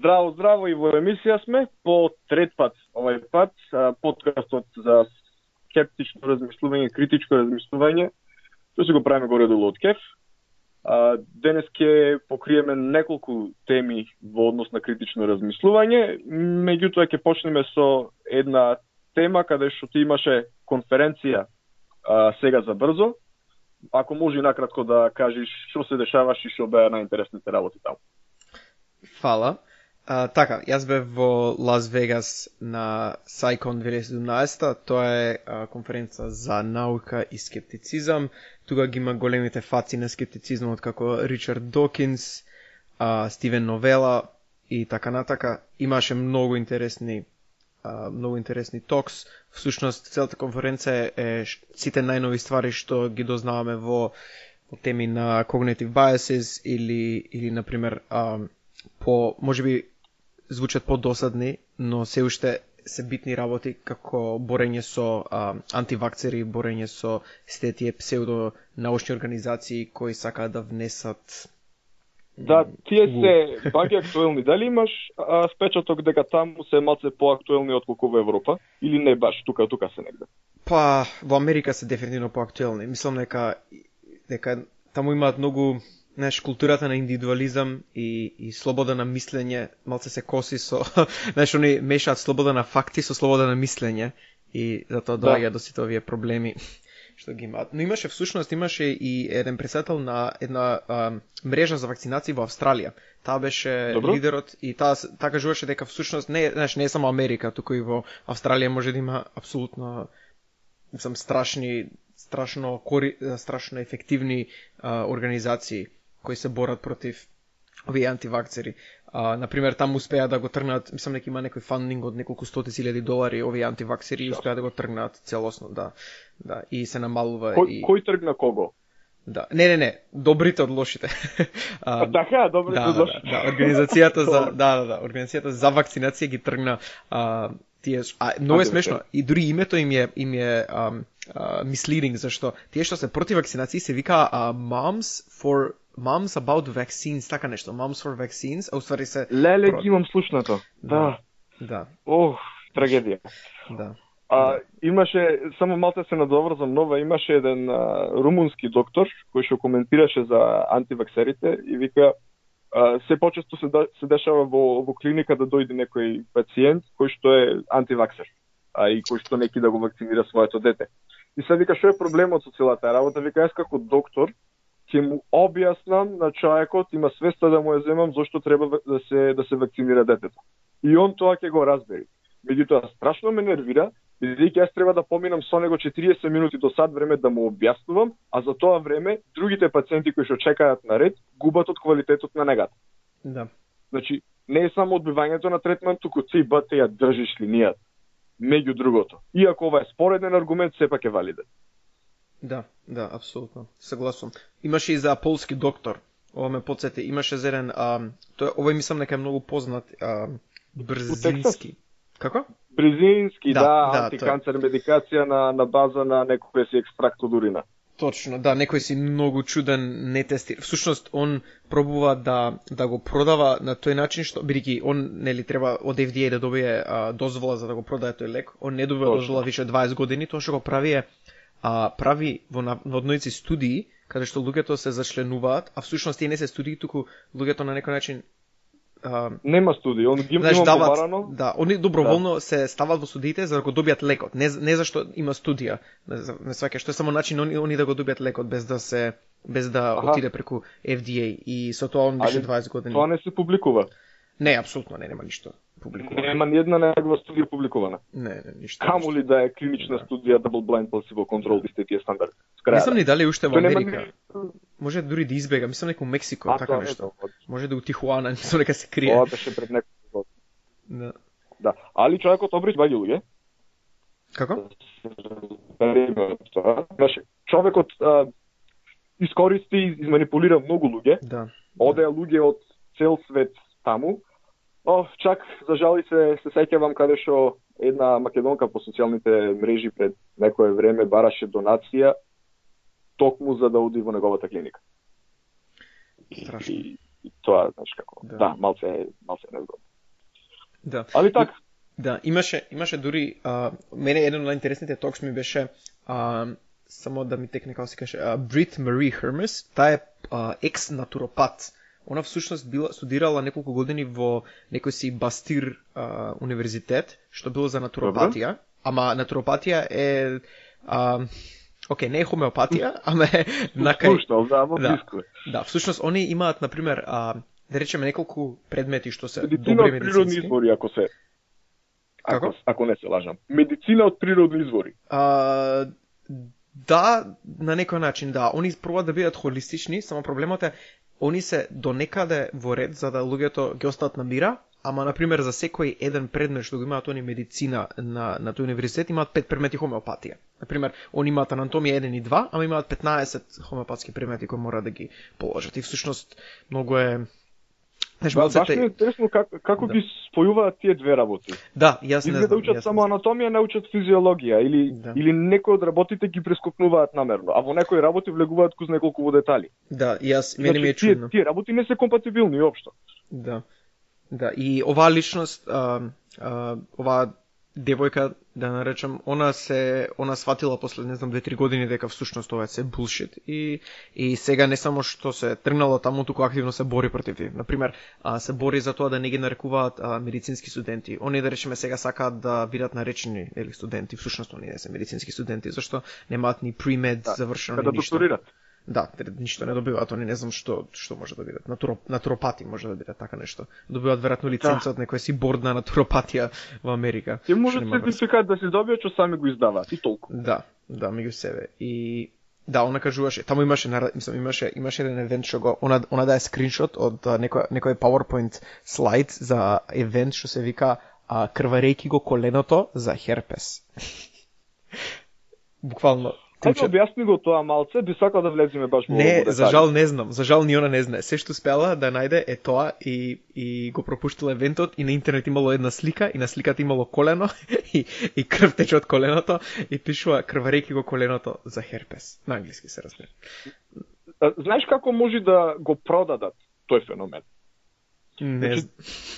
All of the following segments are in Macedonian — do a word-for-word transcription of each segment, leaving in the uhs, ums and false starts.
Здраво, здраво, и во емисија сме по трет пат овај пат, подкастот за скептично размислување, критичко размислување, што се го правиме горе-долу од кеф. Денес ќе покриеме неколку теми во однос на критично размислување, меѓутоа ќе почнеме со една тема каде што ти имаше конференција а, сега за брзо. Ако може накратко да кажеш што се дешаваш и што беа најинтересните работи таму. Фала. А, така, јас бев во Лас Вегас на SciCon две илјади и седумнаесета, тоа е а, конференца за наука и скептицизам. Тука ги има големите фаци на скептицизмот како Ричард Докинс, а, Стивен Новела и така натака. Имаше многу интересни а, многу интересни токс. Всушност, целата конференца е сите најнови ствари што ги дознаваме во, во теми на cognitive biases или, или например, а, по, може би, звучат подосадни, но се уште се битни работи како борење со а, антивакцери, борење со сите тие псевдонаучни организации кои сакаат да внесат. Да, тие се баги актуелни. Дали имаш а, спечаток дека таму се малце поактуелни отколку во Европа? Или не баш, тука, тука се негде? Па, во Америка се дефинитивно поактуелни. Мислам дека, дека таму имаат многу, знаеш, културата на индивидуализам и, и слобода на мислење малце се коси со, знаеш, они мешаат слобода на факти со слобода на мислење и затоа доаѓа да. до сите овие проблеми што ги имаат. Но имаше всушност, имаше и еден председател на една а, мрежа за вакцинации во Австралија. Таа беше Добро. лидерот и таа таа кажуваше дека всушност не, знаеш, не е само Америка, туку и во Австралија може да има апсолутно мислам страшни страшно кори, страшно ефективни а, организации кои се борат против овие антивакцери. А, например, таму успеа да го тргнат, мислам дека има некој фандинг од неколку стотици илјади долари овие антивакцери и успеа да го тргнат целосно, да. Да, и се намалува кој, и кој тргна кого? Да. Не, не, не, добрите од лошите. А, така, добрите да, од лошите. Да, да, организацијата за да, да, да, организацијата за вакцинација ги тргна а, тие, а многу е смешно и дури името им е им е а, а, misleading, зашто тие што се против вакцинации се вика а, moms for Moms about vaccines, така нешто, Moms for vaccines, а уствари се... Леле, ги имам слушнато. Да. Да. Ох, трагедија. Да. А, да. Имаше, само малце се надоврзам нова, имаше еден а, румунски доктор, кој што коментираше за антиваксерите и вика, а, се почесто се, да, се дешава во, во клиника да дојде некој пациент кој што е антиваксер, а и кој што неки да го вакцинира своето дете. И се вика, што е проблемот со целата работа? Вика, јас како доктор, ќе му објаснам на човекот, има свеста да му ја земам зошто треба да се да се вакцинира детето. И он тоа ќе го разбери. Меѓутоа страшно ме нервира, бидејќи јас треба да поминам со него четириесет минути до сат време да му објаснувам, а за тоа време другите пациенти кои што чекаат на ред губат од квалитетот на негата. Да. Значи, не е само одбивањето на третман, туку ти бате ја држиш линијата. Меѓу другото. Иако ова е спореден аргумент, сепак е валиден. Да, да, апсолутно. Согласувам. Имаше и за полски доктор. Ова ме потсети. Имаше за еден, а, тој овој мислам дека е многу познат, а, Брзински. Како? Брзински, да, да, да антиканцер тој... медикација на на база на некој си екстракт од урина. Точно, да, некој си многу чуден, не тестира. Всушност он пробува да да го продава на тој начин што бидејќи он нели треба од Ф Д А да добие а, дозвола за да го продае тој лек. Он не добива дозвола више дваесет години, тоа што го прави е а прави во наводници студии каде што луѓето се зачленуваат, а всушност тие не се студии, туку луѓето на некој начин а, нема студии, он ги има побарано. Да, они доброволно да. се стават во студиите за да го добијат лекот, не не зашто има студија. Не, не сваќаш, што е само начин они, они да го добијат лекот без да се без да Аха. отиде преку Ф Д А и со тоа он беше дваесет години. Тоа не се публикува. Не, апсолутно не, нема ништо публикувано. Нема ни една негова студија публикувана. Не, не, ништо. Камо ли да е клинична да. студија double blind placebo control исти тие стандарди. Не знам ни дали уште во Америка. Нема... Може дури да избега, мислам некој Мексико, а, така нешто. Може да у Тихуана, мислам дека се крие. Тоа беше пред неколку години. Да. Да, али човекот обрич баѓи луѓе. Како? Значи, човекот а, искористи и изманипулира многу луѓе. Да. Одеа луѓе од цел свет таму. О, чак, за жали се, се сеќавам каде што една македонка по социјалните мрежи пред некое време бараше донација токму за да оди во неговата клиника. Страшно. И, и тоа, знаеш како, да, да малце, малце незгодно. Да. Али така. Да, имаше имаше дури а, мене еден од најинтересните токс ми беше а, само да ми текне како се каже, Брит Мари Хермес, таа е а, екс натуропат. Она всушност била студирала неколку години во некој си Бастир а, универзитет, што било за натуропатија, Добре. Ама натуропатија е а, окей, не е хомеопатија, ама е накај да, да, да, всушност они имаат на пример а, да речеме неколку предмети што се медицина добри од медицински. Природни извори, ако се Ако, Како? ако не се лажам. Медицина од природни извори. А, да, на некој начин, да. Они пробаат да бидат холистични, само проблемот е, они се до некаде во ред за да луѓето ги остаат на мира, ама, например, за секој еден предмет што го имаат они медицина на, на тој универзитет, имаат пет предмети хомеопатија. Например, они имаат анатомија еден и два, ама имаат петнаесет хомеопатски предмети кои мора да ги положат. И всушност, многу е... Знаеш, да, баш ми е интересно как, како да. ги спојуваат тие две работи. Да, јас не знам. Изгледа учат само анатомија, не учат физиологија, или, да. или некои од работите ги прескокнуваат намерно, а во некои работи влегуваат куз неколку во детали. Да, јас, мене ми е чудно. Тие, тие работи не се компатибилни уопшто. Да, да, и оваа личност, а, а, оваа девојка, да наречам, она се, она сватила после, не знам, две-три години дека всушност ова е се булшит и, и сега не само што се тргнало таму, туку активно се бори против тие. Например, а, се бори за тоа да не ги нарекуваат а, медицински студенти. Они, да речеме, сега сакаат да бидат наречени или студенти, всушност они не се медицински студенти, зашто немаат ни премед да, завршено ни ништо. Да, Да, ништо не добиваат, они не знам што што може да бидат. Натуроп, натуропати може да бидат така нешто. Добиваат веројатно лиценца да. од некој си борд на натуропатија во Америка. Ти можат сертификат да си добиеш, што сами го издаваат и толку. Да, да, меѓу себе. И да, она кажуваше, таму имаше, мислам, имаше имаше еден евент што го она она дае скриншот од некој некој PowerPoint слайд за евент што се вика а, крварејки го коленото за херпес. Буквално Ајде објасни го тоа малце, би сакал да влеземе баш во Не, детали. за жал не знам, за жал ни она не знае. Се што успела да најде е тоа и и го пропуштила евентот и на интернет имало една слика и на сликата имало колено и и крв тече од коленото и пишува крварејки го коленото за херпес. На англиски се разбира. Знаеш како може да го продадат тој феномен? Не. Значи,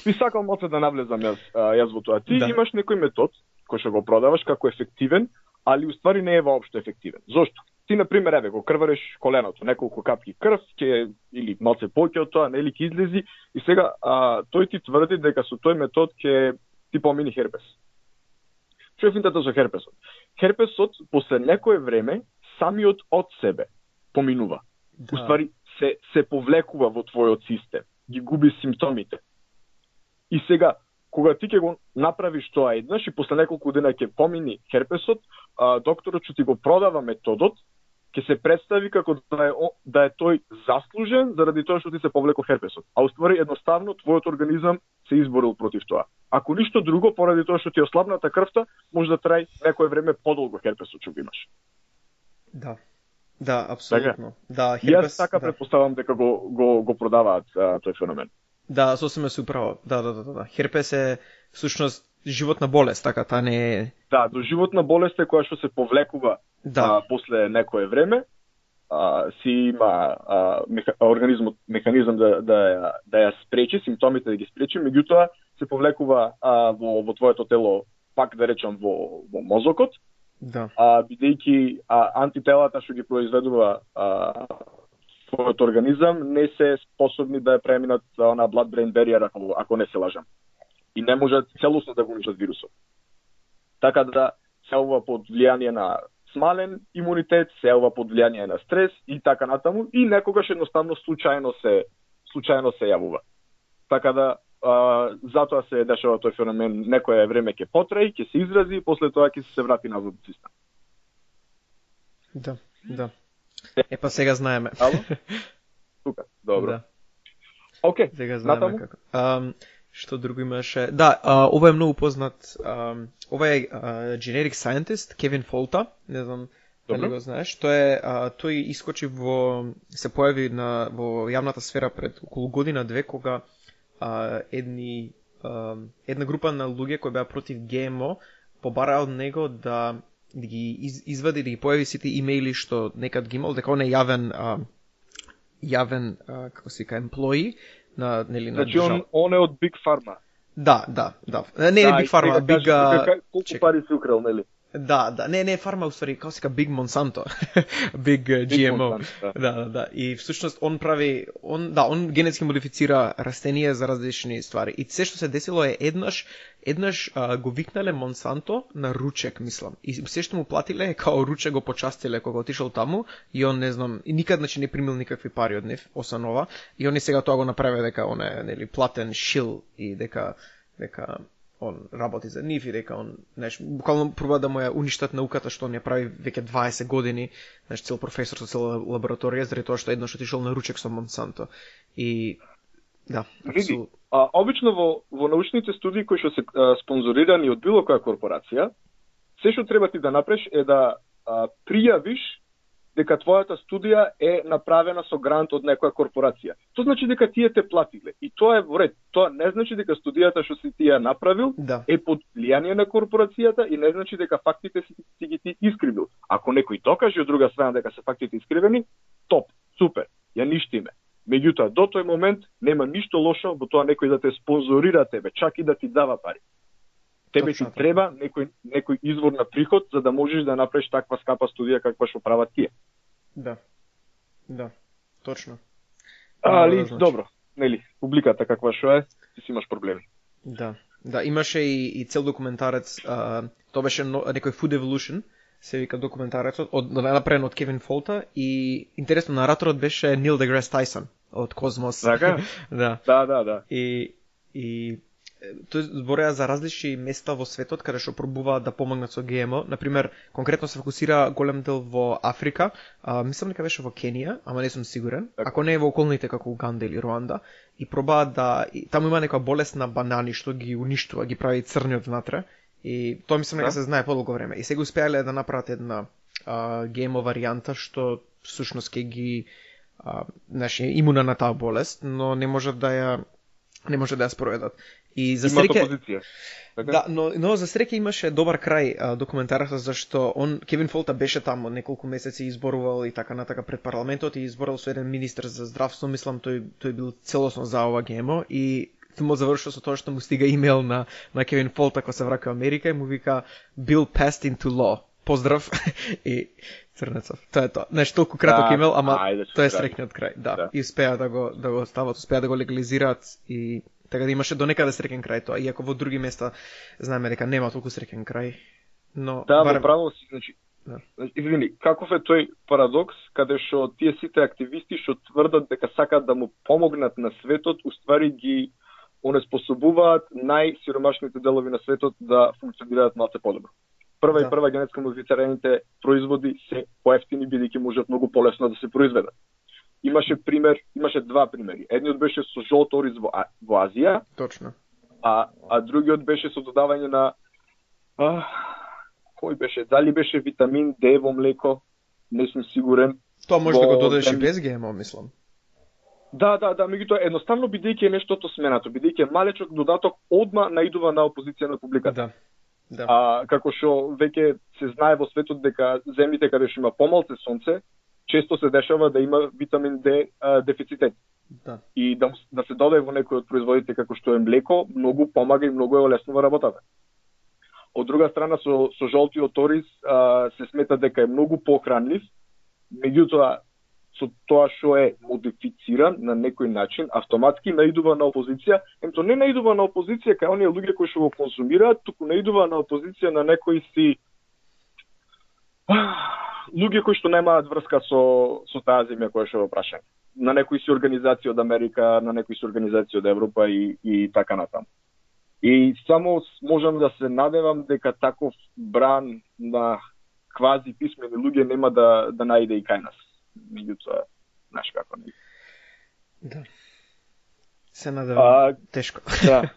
би сакал малце да навлезам јас, јас во тоа. Ти да. имаш некој метод кој што го продаваш како ефективен, али уствари не е воопшто ефективен. Зошто? Ти, например, еве, го крвареш коленото, неколку капки крв, ќе, или малце поќе од тоа, нели ќе излези, и сега а, тој ти тврди дека со тој метод ќе ти помини херпес. Што е финтата со херпесот? Херпесот, после некое време, самиот од себе поминува. Да. Уствари, се, се повлекува во твојот систем, ги губи симптомите. И сега, кога ти ќе го направиш тоа еднаш и после неколку дена ќе помини херпесот, а, докторот што ти го продава методот, ќе се представи како да е, да е тој заслужен заради тоа што ти се повлеко херпесот. А уствари едноставно твојот организам се изборил против тоа. Ако ништо друго, поради тоа што ти е ослабната крвта, може да траи некое време подолго херпесот што го имаш. Да. Да, апсолутно. Така? Да, херпес. Јас така да. претпоставам дека го го го продаваат а, тој феномен. Да, сосема се управо. Да, да, да, да. Херпес е всушност животна болест, така, та не е... Да, до животна болест е која што се повлекува да. а, после некое време, а, си има а, меха, организмот механизам да да ја, да ја спречи, симптомите да ги спречи, меѓутоа се повлекува а, во во твоето тело, пак да речам во во мозокот. Да. А бидејќи а, антителата што ги произведува а, твојот организам не се способни да ја преминат на blood-brain barrier, ако, ако не се лажам. И не можат целосно да го уништат вирусот. Така да се ова под влијание на смален имунитет, се ова под влијание на стрес и така натаму, и некогаш едноставно случајно се случајно се јавува. Така да а, затоа се дешава тој феномен, некое време ќе потраи, ќе се изрази и после тоа ќе се врати назад во систем. Да, да. Е, па сега знаеме. Ало? Тука, добро. Да. Океј, сега знаеме натаму? како. Um, што друго имаше? Да, а, ова е многу познат. А, ова е а, generic scientist Кевин Фолта, не знам дали го знаеш. Тој е а, тој искочи во се појави на во јавната сфера пред околу година две кога а, едни а, една група на луѓе кои беа против ГМО побараа од него да да ги из, извади, да ги појави сите имејли што некад ги имал, дека он е јавен а, јавен а, како се вика employee на нели на Значи он, он е од Big Pharma. Да, да, да. Не, не да, Big Pharma, Big... Big... Колку пари си украл, нели? Да, да, не, не Pharma, уствари, како се ка Big Monsanto. Big uh, G M O. Monsanto, да. да, да, да. И всушност он прави, он, да, он генетски модифицира растенија за различни ствари. И се што се десило е еднаш, еднаш а, го викнале Монсанто на ручек, мислам. И се што му платиле е као ручек го почастиле кога отишол таму и он не знам, и никад значи не примил никакви пари од нив, освен ова. И они сега тоа го направи дека он е, нели, платен шил и дека дека он работи за нив и дека он, знаеш, буквално проба да му ја уништат науката што он ја прави веќе дваесет години, знаеш, цел професор со цела лабораторија, заради тоа што еднаш отишол на ручек со Монсанто. И да, види, абсол... а обично во во научните студии кои што се а, спонзорирани од било која корпорација, се што треба ти да направиш е да а, пријавиш дека твојата студија е направена со грант од некоја корпорација. Тоа значи дека тие те платиле. И тоа е во ред. Тоа не значи дека студијата што си ти ја направил да. е под влијание на корпорацијата и не значи дека фактите си, си ги ти искривил. Ако некој докаже од друга страна дека се фактите искривени, топ, супер, ја ништиме. Меѓутоа, до тој момент нема ништо лошо во тоа некој да те спонзорира тебе, чак и да ти дава пари. Тебе ти треба некој некој извор на приход за да можеш да направиш таква скапа студија каква што прават тие. Да. Да. Точно. Али да, значи. Добро, нели, публиката каква што е, ти си имаш проблеми. Да. Да, имаше и, и цел документарец, а, тоа беше но, некој Food Evolution, се вика документарецот, од направен од Кевин Фолта и интересно нараторот беше Нил Деграс Тајсон од Космос. Така? Да. Да, да, да. И и тој збореа за различни места во светот каде што пробуваат да помогнат со Г М О. Например, конкретно се фокусира голем дел во Африка, а, мислам дека беше во Кенија, ама не сум сигурен. Так. Ако не е во околните како Уганда или Руанда, и пробаат да и, таму има некоја болест на банани што ги уништува, ги прави црни од внатре. И тоа мислам дека се знае подолго време. И сега успеале да направат една а, Г М О варијанта што всушност ќе ги а, значи имуна на таа болест, но не можат да ја не може да ја спроведат. И за среќа опозиција. Така? Да, но но за среќа имаше добар крај а, документарот зашто он Кевин Фолта беше таму неколку месеци изборувал и така натака пред парламентот и изборал со еден министер за здравство, мислам тој тој бил целосно за ова Г М О и му завршил со тоа што му стига имејл на на Кевин Фолта кога се враќа во Америка и му вика Bill passed into law. Поздрав и Црнецов. Тоа е тоа. Знаеш, толку краток да, имејл, ама ајде, тоа е среќниот крај. Да. да. И успеа да го да го стават, успеа да го легализираат и така да имаше до некаде среќен крај тоа, иако во други места знаеме дека нема толку среќен крај. Но да, барем... право си, значи. Да. Извини, каков е тој парадокс каде што тие сите активисти што тврдат дека сакаат да му помогнат на светот, уствари ги онеспособуваат најсиромашните делови на светот да функционираат малце подобро. Прва да. и прва генетски модифицираните производи се поевтини бидејќи можат многу полесно да се произведат. Имаше пример, имаше два примери. Едниот беше со жолт ориз во, во Азија. Точно. А а другиот беше со додавање на а, кој беше? Дали беше витамин Д во млеко? Не сум сигурен. Тоа може во... да го додадеш и без Г М О, мислам. Да, да, да, меѓутоа едноставно бидејќи е нештото сменато, бидејќи е малечок додаток, одма наидува на опозиција на публиката. Да. Да. А како што веќе се знае во светот дека земјите каде што има помалце сонце, често се дешава да има витамин Д а, дефицитет. Да. И да, да се додаде во некој од производите како што е млеко, многу помага и многу е олеснува работата. Од друга страна со со жолтиот ориз а, се смета дека е многу похранлив, меѓутоа со тоа што е модифициран на некој начин, автоматски наидува на опозиција, емто не наидува на опозиција кај оние луѓе кои што го консумираат, туку наидува на опозиција на некои си луѓе кои што немаат врска со со таа земја која што е опрашана. На некои си организации од Америка, на некои си организации од Европа и и така натаму. И само можам да се надевам дека таков бран на квази писмени луѓе нема да да најде и кај нас. Меѓутоа, знаеш како не. Да. Се надевам тешко. Да.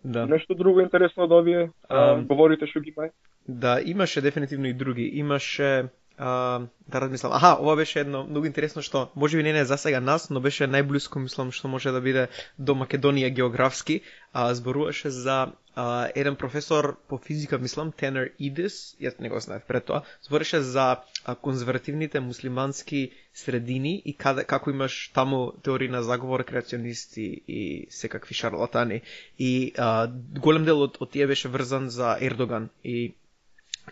Да. Нешто друго интересно од овие а, говорите што ги има? Да, имаше дефинитивно и други. Имаше а, да размислам. Аха, ова беше едно многу интересно што можеби не е за сега нас, но беше најблиско мислам што може да биде до Македонија географски, а зборуваше за а, еден професор по физика, мислам, Tanner Edis, јас не го знаев пред тоа, збореше за а, конзервативните муслимански средини и каде, како имаш таму теории на заговор, креационисти и секакви шарлатани. И а, голем дел од, од тие беше врзан за Ердоган и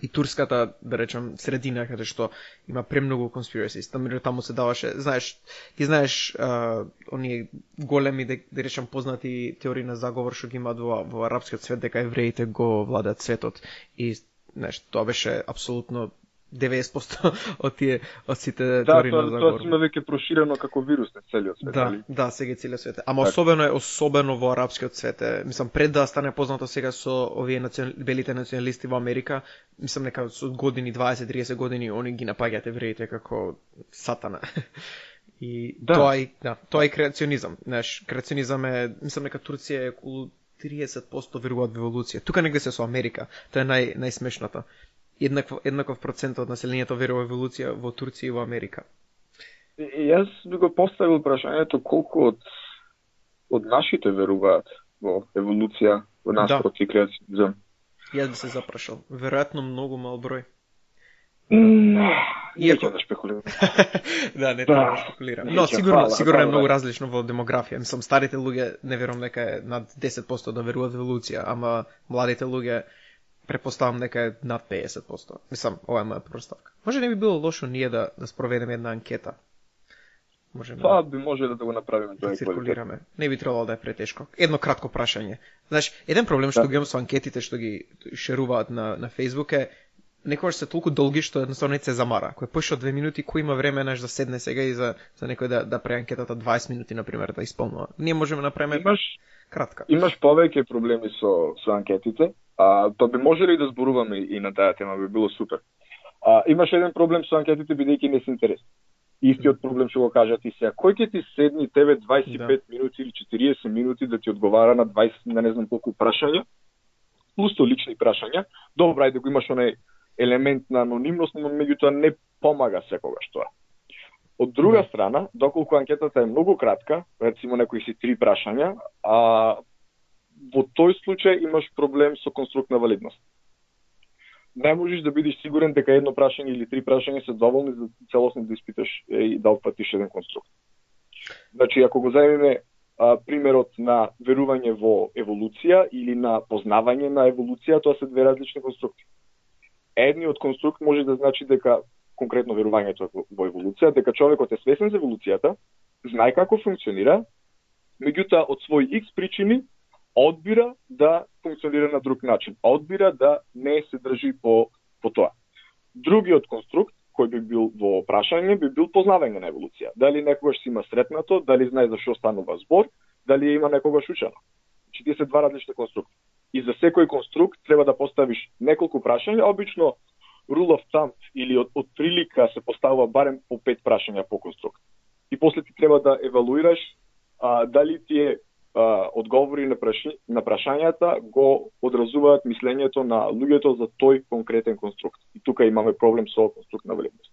и турската, да речем, средина, каде што има премногу conspiracies. Таму, таму се даваше, знаеш, ти знаеш, а, оние големи, да, да речем, познати теории на заговор, што ги имаат во, во арапскиот свет, дека евреите го владат светот. И, знаеш, тоа беше апсолутно деветдесет проценто од тие, од сите теории да, на заговор. Да, тоа сме веќе проширено како вирус на целиот свет. Да, али? да, сега целиот свет. Ама так. особено е особено во арапскиот свет. Мислам, пред да стане познато сега со овие национ... белите националисти во Америка, мислам нека со години дваесет до триесет години они ги напаѓаат евреите како сатана. И да. тоа е, да, тоа е креационизам. Знаеш, креационизам е, мислам нека Турција е околу триесет проценто веруваат во еволуција. Тука негде се со Америка. Тоа е нај најсмешното. Еднаков, еднаков процент од населението верува во еволуција во Турција и во Америка. И, и јас би го поставил прашањето колку од од нашите веруваат во еволуција, во наспроти да. Креационизам. Јас би се запрашал. Веројатно многу мал број. Mm, Иако да спекулирам. да, не треба да спекулирам. Но сигурно, сигурно е многу различно во демографија. Мислам, старите луѓе не верувам дека е над десет проценто да веруваат во еволуција, ама младите луѓе препоставам дека е над педесет проценто. Мислам, ова е моја проставка. Може не би било лошо ние да, да спроведеме една анкета. Можеме Тоа би може да го направиме да циркулираме. Не би требало да е претешко. Едно кратко прашање. Знаеш, еден проблем што да. ги имам со анкетите што ги шеруваат на на Facebook е некогаш се толку долги што едноставно не се замара. Кој поише од две минути, кој има време наш да седне сега и за за некој да да прави анкетата дваесет минути на пример да исполнува. Ние можеме да направиме имаш кратка. Имаш повеќе проблеми со со анкетите. А, тоа би можеле и да зборуваме и на таа тема, би било супер. А, имаш еден проблем со анкетите бидејќи не се интересни. Истиот проблем што го кажат и сега. Кој ќе ти седни тебе дваесет и пет да. минути или четириесет минути да ти одговара на дваесет, на не знам колку прашања, плюс то лични прашања. Добро, ајде го имаш онај елемент на анонимност, но меѓутоа не помага секогаш тоа. Од друга да. страна, доколку анкетата е многу кратка, рецимо некои си три прашања, а во тој случај имаш проблем со конструкт на валидност. Не можеш да бидеш сигурен дека едно прашање или три прашања се доволни за целосно да испиташ и да опфатиш еден конструкт. Значи, ако го земеме а, примерот на верување во еволуција или на познавање на еволуција, тоа се две различни конструкти. Едниот конструкт може да значи дека конкретно верувањето во еволуција, дека човекот е свесен за еволуцијата, знае како функционира, меѓутоа од своји икс причини одбира да функционира на друг начин, одбира да не се држи по, по тоа. Другиот конструкт, кој би бил во прашање, би бил познавање на еволуција. Дали некогаш си има сретнато, дали знае за што станува збор, дали има некогаш учено. Значи, тие се два различни конструкти. И за секој конструкт треба да поставиш неколку прашања, обично rule of thumb или од, од прилика се поставува барем по пет прашања по конструкт. И после ти треба да евалуираш а, дали тие Uh, одговори на, праши, на прашањата го одразуваат мислењето на луѓето за тој конкретен конструкт. И тука имаме проблем со конструкт на валидност.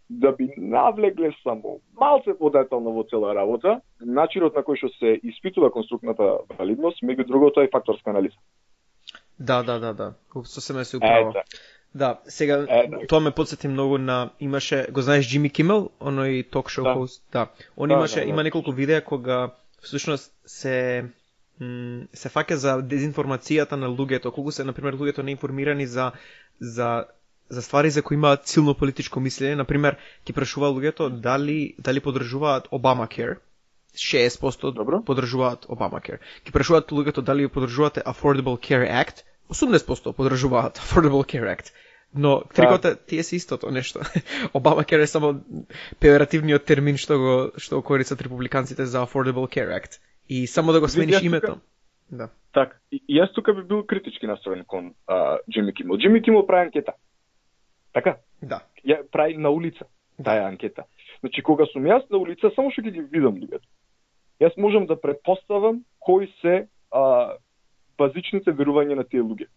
Да би навлегле само малце подетално во цела работа, начинот на кој што се испитува конструктната валидност, меѓу другото е факторска анализа. Да, да, да, да. Сосема се управа. Ета. Да, сега Ета. Тоа ме потсети многу на имаше, го знаеш Джими Кимел, оној ток шоу хост, да. Он да, имаше да, да. има неколку видеа кога всушност се м, се фаќа за дезинформацијата на луѓето, колку се на пример луѓето неинформирани за за за ствари за кои имаат силно политичко мислење, на пример ќе прашува луѓето дали дали поддржуваат Obamacare. шеесет проценто Добро. Поддржуваат Obamacare. Ќе прашуваат луѓето дали поддржувате Affordable Care Act, осумдесет проценто поддржуваат Affordable Care Act. Но трикота тие се истото нешто. Obamacare е само пеоративниот термин што го што го користат републиканците за Affordable Care Act. И само да го смениш името. Тука... Да. Так, и, и јас тука би бил критички настроен кон Джими Кимел. Джими Кимел прави анкета. Така? Да. Ја прави на улица таа анкета. Значи кога сум јас на улица, само што ќе ги видам луѓето. Јас можам да претпоставам кои се а, базичните верувања на тие луѓе.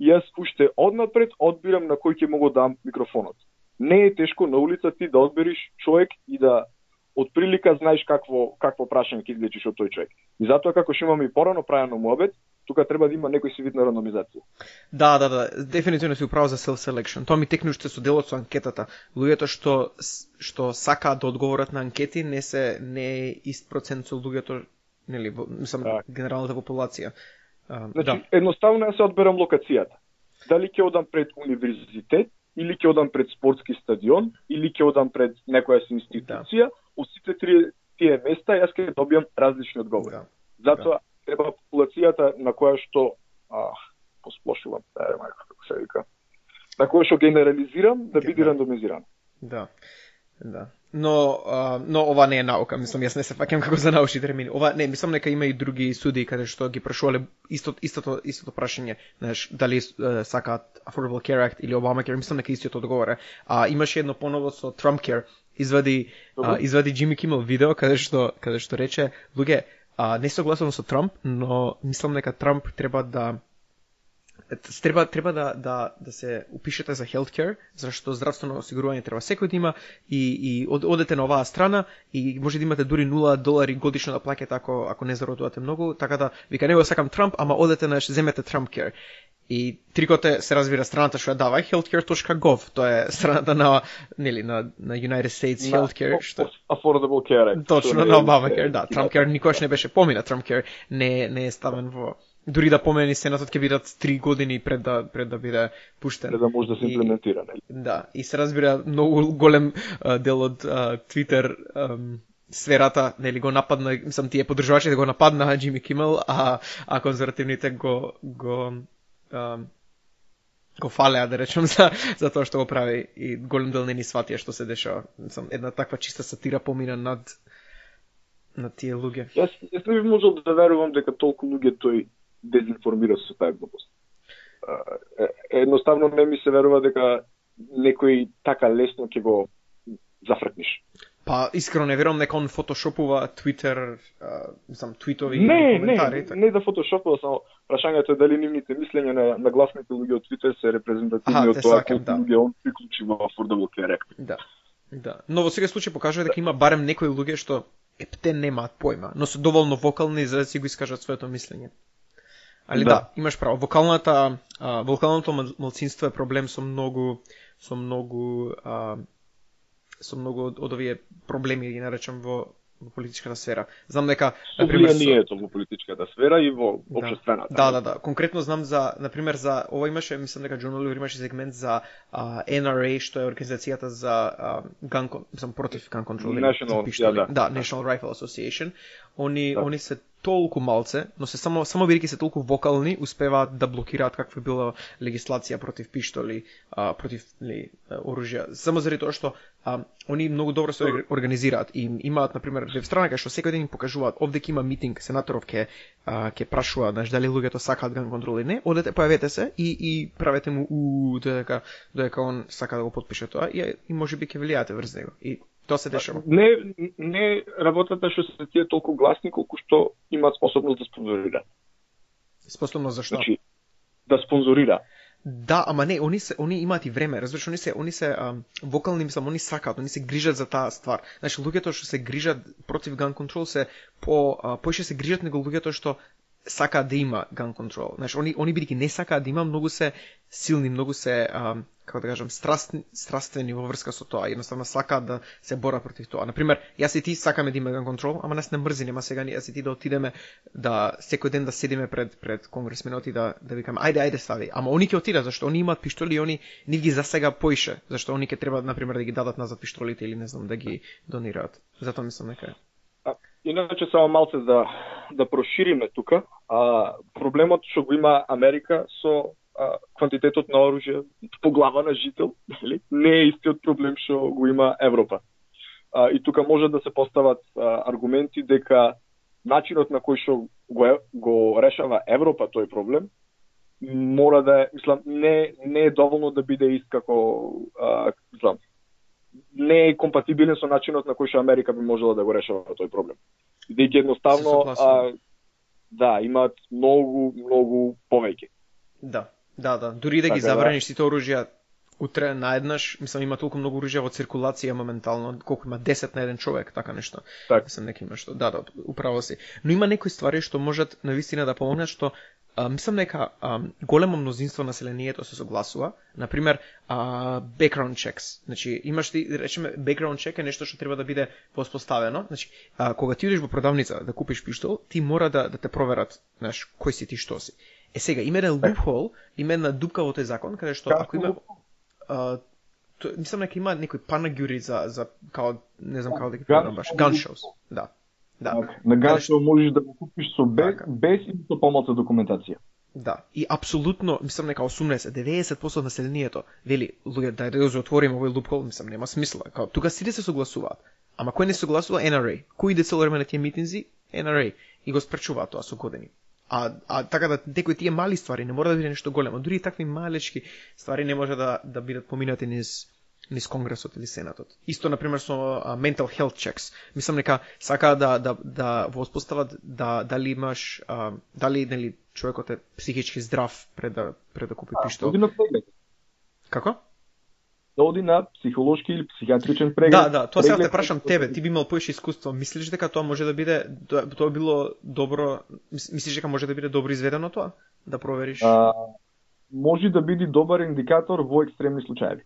И јас уште однапред одбирам на кој ќе могу да дам микрофонот. Не е тешко на улица ти да одбериш човек и да од прилика знаеш какво какво прашање ќе извлечеш од тој човек. И затоа како што имаме и порано правено муабет, тука треба да има некој си вид на рандомизација. Да, да, да, дефинитивно си управо за self-selection. Тоа ми текне уште со делот со анкетата. Луѓето што што сакаат да одговорат на анкети не се не е ист процент со луѓето, нели, мислам, да. Генералната популација. А, значи, да. едноставно ја се одберам локацијата. Дали ќе одам пред универзитет, или ќе одам пред спортски стадион, или ќе одам пред некоја си институција, да. Од сите три тие места јас ќе добиам различни одговори. Да. Затоа да. Треба популацијата на која што а, посплошувам, да, мајка, како се вика, на која што генерализирам, да биде да. Рандомизирано. Да. Да. Но, а, но ова не е наука, мислам, јас не се фаќам како за научни термини. Ова не, мислам дека има и други студии каде што ги прашувале истото истото истото прашање, знаеш, дали е, сакаат Affordable Care Act или Obamacare, мислам дека истиот одговора. А имаше едно поново со Trump Care, извади а, извади Джими Кимел видео каде што каде што рече, луѓе, а, не согласувам со Трамп, но мислам дека Трамп треба да Треба треба да да да се упишете за healthcare, зашто здравствено осигурување треба секој да има и и од, одете на оваа страна и може да имате дури нула долари годишно да плаќате ако ако не зарадувате многу, така да вика него сакам Трамп, ама одете на земете Trump Care. И трикот е, се разбира, страната што ја дава healthcare dot gov, тоа е страната на нели на на United States на, Healthcare што Affordable Care Act. Точно на Obamacare, да, Trump Care никогаш не беше помина, Trump Care не не е ставен во дури да помени сенатот ќе бидат три години пред да пред да биде пуштен. Пред да може да се имплементира, нели? Да, и се разбира многу голем а, дел од а, Twitter ам, сферата, нели, го нападна, мислам тие поддржувачите го нападнаа Джими Кимел, а а конзервативните го го ам, го фалеа, да речем, за за тоа што го прави, и голем дел не ни сватија што се дешава. Мислам една таква чиста сатира помина над на тие луѓе. Јас јас не би можел да верувам дека толку луѓе тој дезинформира со таа глупост. Едноставно не ми се верува дека некој така лесно ќе го зафркниш. Па искрено не верувам дека он фотошопува Twitter, мислам твитови и не, коментари. Не, така. Не да фотошопува, само прашањето е дали нивните мислења на, на гласните луѓе од Twitter се репрезентативни од тоа колку да. Луѓе он приклучи во Affordable Care Act. Да. Да. Но во секој случај покажува дека има барем некои луѓе што епте немаат појма, но се доволно вокални за да си го искажат своето мислење. Али да, да имаш право. Вокалната а, вокалното малцинство е проблем со многу со многу а, со многу од, од овие проблеми, ги наречам, во во политичката сфера. Знам дека на пример влијанието во политичката сфера и во општествената. Да, да, да. Конкретно знам за, на пример, за ова имаше, мислам дека Джон Оливер имаше сегмент за а, Ен Ар А, што е организацијата за а, gun, мислам против gun control. National, ja, да. Да, National Rifle Association. Они да. Они се толку малце, но се само само бидејќи се толку вокални, успеваат да блокираат каква била легислација против пиштоли, а, против ли, оружја. Само заради тоа што а, они многу добро се организираат и имаат на пример веб страна кај што секој ден им покажуваат овде ќе има митинг, сенаторов ќе ќе прашува, знаеш, дали луѓето сакаат gun control или не, одете, појавете се и и правете му у додека додека он сака да го потпише тоа и, и можеби ќе влијаате врз него. И тоа се дешава. Не, не работата што се тие толку гласни колку што имаат способност да спонзорира. Способност за што? Значи, да спонзорира. Да, ама не, они се они имаат и време, разбираш, они се они се а, вокални, мислам, они сакаат, они се грижат за таа ствар. Значи луѓето што се грижат против gun control се по поише се грижат него луѓето што сакаат да има gun control. Знаеш, они они бидејќи не сакаат да има, многу се силни, многу се а, како да кажам, страстни, страствени во врска со тоа. Едноставно сакаат да се борат против тоа. На пример, јас и ти сакаме да има gun control, ама нас не мрзи, нема сега јас и ти да отидеме да секој ден да седиме пред пред конгресменот и да да викаме ајде ајде стави. Ама они ќе отидат зашто они имаат пиштоли и они нив ги засега поише, зашто они ќе треба на пример да ги дадат назад пиштолите или не знам да ги донираат. Затоа мислам дека иначе само малце да да прошириме тука, а проблемот што го има Америка со а, квантитетот на оружје по глава на жител, нели? Не е истиот проблем што го има Европа. А, и тука може да се постават а, аргументи дека начинот на кој што го го решава Европа тој проблем мора да е, мислам, не не е доволно да биде ист како а, мислам, не е компатибилен со начинот на кој што Америка би можела да го решава тој проблем. Бидејќи едноставно а, да, имаат многу, многу повеќе. Да, да, да. Дури да ги така, забраниш сите оружја утре наеднаш, мислам има толку многу оружја во циркулација моментално, колку има десет на еден човек, така нешто. Так. Мислам нека има што. Да, да, управо си. Но има некои ствари што можат навистина да помогнат, што а, мислам дека а, големо мнозинство населението се согласува, на пример, а, background checks. Значи, имаш ти, речеме, background check е нешто што треба да биде воспоставено. Значи, а, кога ти одиш во продавница да купиш пиштол, ти мора да да те проверат, знаеш, кој си ти, што си. Е сега, има еден loophole, има една дупка во тој закон, каде што ако има а, то, мислам дека има некој панагюри за за као не знам како да ги преведам баш, gun shows. Да. Да. Так, на gun show можеш да го купиш со без, без и со помалку документација. Да, и апсолутно, мислам нека осумнаесет до деветдесет проценти од населението вели, луѓе, дај да ја отвориме овој лупхол, мислам нема смисла. Као тука сите се согласуваат. Ама кој не согласува? Ен Ар Ей. Кој иде цело време на тие митинзи? Ен Ар Ей. И го спречуваат тоа со години. А, а така да некои тие мали ствари не мора да биде нешто големо. Дури и такви малечки ствари не може да да бидат поминати низ низ Конгресот или Сенатот. Исто на пример со uh, mental health checks. Мислам дека сака да да да воспостават да дали имаш uh, дали нели човекот е психички здрав пред да пред да купи пиштол. Да, како? Да оди на психолошки или психиатричен преглед. Да, да, тоа сега те прашам тебе, ти би имал поише искуство. Мислиш дека тоа може да биде тоа било добро, мислиш дека може да биде добро изведено тоа? Да провериш? А, може да биде добар индикатор во екстремни случаи.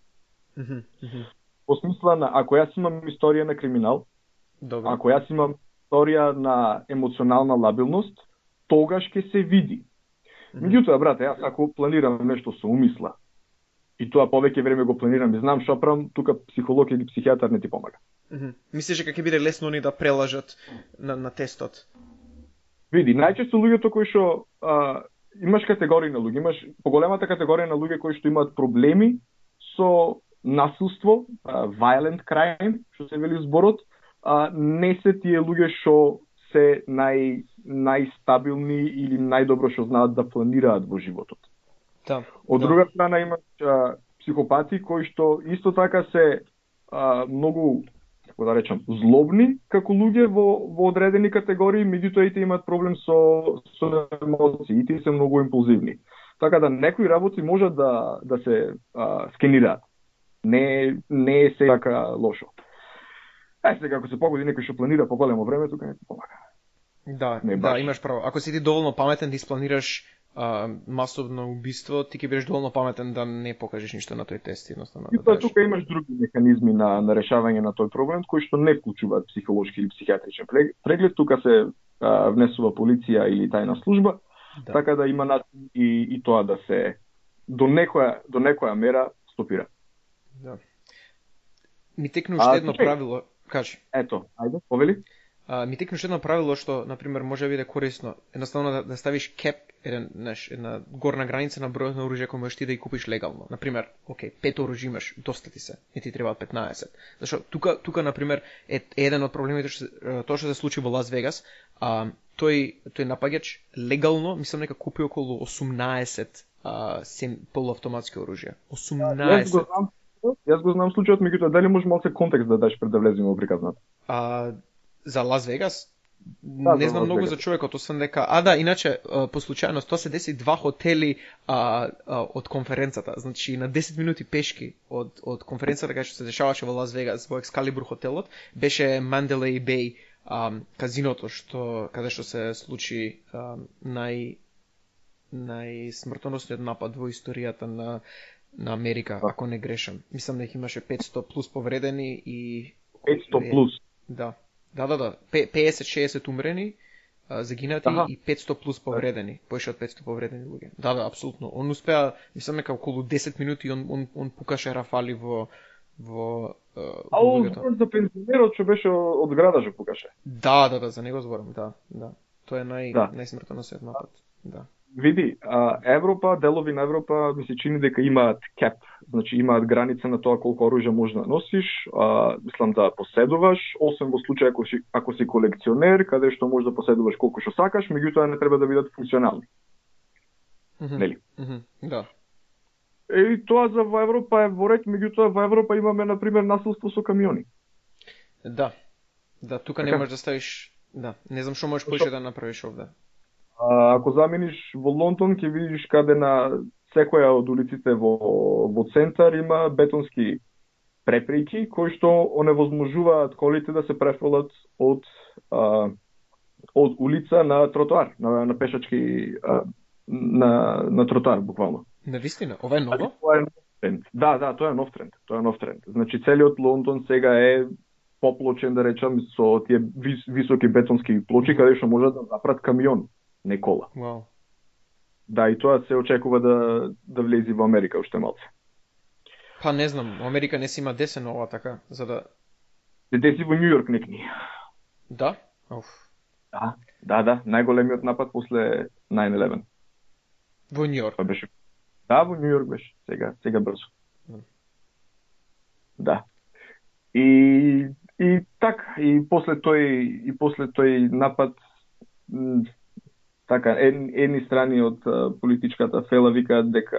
Mm-hmm, mm-hmm. По смисла на, ако јас имам историја на криминал, Добре. ако јас имам историја на емоционална лабилност, тогаш ќе се види. Mm-hmm. Меѓутоа, брате, јас ако планирам нешто со умисла, и тоа повеќе време го планирам и знам што правам, тука психолог или психијатар не ти помага. Mm-hmm. Мислиш дека ќе биде лесно они да прелажат на, на тестот? Види, најчесто луѓето кои што а, имаш категории на луѓе, имаш поголемата категорија на луѓе кои што имаат проблеми со насилство, uh, violent crime, што се вели зборот, uh, не се тие луѓе што се нај најстабилни или најдобро што знаат да планираат во животот. Да. Од да. друга страна имаш uh, психопати кои што исто така се uh, многу, како да речам, злобни како луѓе во во одредени категории, меѓутоа и тие имаат проблем со со емоции, и тие се многу импулзивни. Така да некои работи можат да да се uh, скенираат. Не, не е се така лошо. Е, сега, ако се погоди некој што планира по големо време, тука не ти помага. Да, да, имаш право. Ако си ти доволно паметен да испланираш а, масовно убиство, ти ќе бидеш доволно паметен да не покажеш ништо на тој тест, едноставно. И тоа да тука имаш други механизми на, на решавање на тој проблем, кои што не вклучуваат психолошки или психијатричен преглед. Тука се а, внесува полиција или тајна служба, да. Така да има начин и, и тоа да се до некоја, до некоја мера стопира. Да. Ми текна уште едно правило, кажи. Ето, ајде, повели. А, ми текна уште едно правило што, на пример, може да биде корисно. Едноставно да, да ставиш кеп, еден, неш, една горна граница на бројот на оружје кој можеш ти да ги купиш легално. На пример, окей, пет оружје имаш, доста ти се, не ти требаат петнаесет. Зашто тука, тука на пример, е еден од проблемите што тоа што се случи во Лас Вегас, а, тој тој напаѓач легално, мислам дека купи околу осумнаесет а, сем полуавтоматски оружја. осумнаесет. Јас го знам случајот, меѓутоа дали може малце контекст да дадеш пред да влеземе во приказната? А, за Лас Вегас? Да, не знам многу за човекот, освен дека... А да, иначе, по случајност, тоа се деси два хотели а, а, од конференцата. Значи, на десет минути пешки од, од конференцата, кај што се дешаваше во Лас Вегас, во Екскалибур хотелот, беше Mandalay Bay а, казиното, што, каде што се случи а, нај, најсмртоносниот напад во историјата на на Америка, ако не грешам. Мислам дека имаше петсто плюс повредени и... петсто плюс? Да. Да, да, да. пеесет шеесет умрени, а, загинати Аха. И петсто плюс повредени. Поише од петсто повредени луѓе. Да, да, апсолутно. Он успеа, мислам дека околу десет минути он, он, он пукаше рафали во... во а, он за пензионерот што беше од града што пукаше? Да, да, да, за него зборам, да. да. Тоа е нај, да. најсмртоносниот напад. Да. Види, а, Европа, делови на Европа ми се чини дека имаат кеп, значи имаат граница на тоа колку оружје можеш да носиш, а, мислам да поседуваш, освен во случај ако си, ако си колекционер, каде што можеш да поседуваш колку што сакаш, меѓутоа не треба да бидат функционални. Mm-hmm. Нели? Mm-hmm. Да. И тоа за во Европа е во ред, меѓутоа во Европа имаме на пример насилство со камиони. Да. Да, тука така? Не можеш да ставиш, да, не знам што можеш поише да направиш овде. А, ако замениш во Лондон, ќе видиш каде на секоја од улиците во, во центар има бетонски препреки, кои што оневозможуваат колите да се префрлат од, а, од улица на тротоар, на, на пешачки а, на на тротоар буквално. Навистина, ова е ново? Тоа е нов тренд. Да, да, тоа е нов тренд. Тоа е нов тренд. Значи целиот Лондон сега е поплочен, да речам, со тие вис, високи бетонски плочи, каде што може да запрат камион, не кола. Wow. Да, и тоа се очекува да да влезе во Америка уште малце. Па не знам, Америка не си има десен ова така, за да... Деси во Њујорк некни. Да? Оф. Да, да, да, најголемиот напад после nine eleven. Во Њујорк? Тоа беше. Да, во Њујорк беше, сега, сега брзо. Mm. Да. И и така, и после тој и после тој напад м, така ед, едни страни од а, политичката фела викаат дека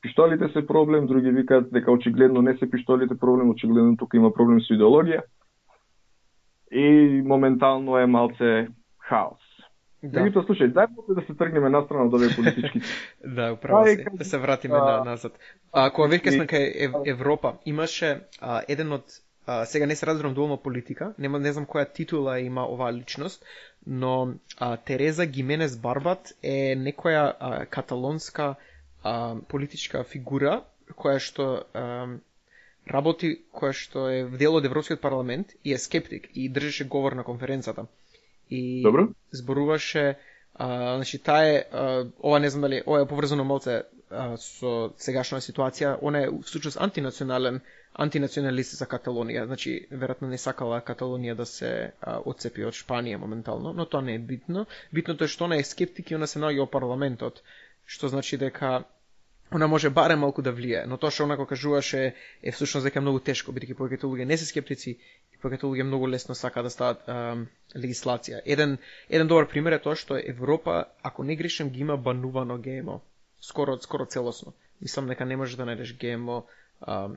пиштолите се проблем, други викаат дека очигледно не се пиштолите проблем, очигледно тука има проблем со идеологија. И моментално е малце хаос. Да. Меѓутоа, слушај, дај да се тргнеме настрана од овие политички. Да, управо Ај, се. кажи, Да се вратиме а, на назад. А кога веќе сме и- кај Ев, Европа, имаше а, еден од а, сега не се разбирам доволно политика, нема не знам која титула има оваа личност, но а, Тереза Гименес Барбат е некоја а, каталонска а, политичка фигура која што а, работи, која што е дел од Европскиот парламент и е скептик и држеше говор на конференцата. И Добро. зборуваше, а, значи таа е, а, ова не знам дали, ова е поврзано малце а, со сегашна ситуација, она е всушност антинационален, антинационалист за Каталонија, значи веројатно не сакала Каталонија да се а, отцепи од Шпанија моментално, но тоа не е битно. Битното е што она е скептик и она се наоѓа во парламентот, што значи дека она може барем малку да влие, но тоа што онако кажуваше е всушност дека е многу тешко, бидејќи повеќето луѓе не се скептици и повеќето луѓе многу лесно сака да стават ам, легислација. Еден еден добар пример е тоа што Европа, ако не грешам, ги има банувано Г М О. Скоро скоро целосно. Мислам дека не можеш да најдеш Г М О ам,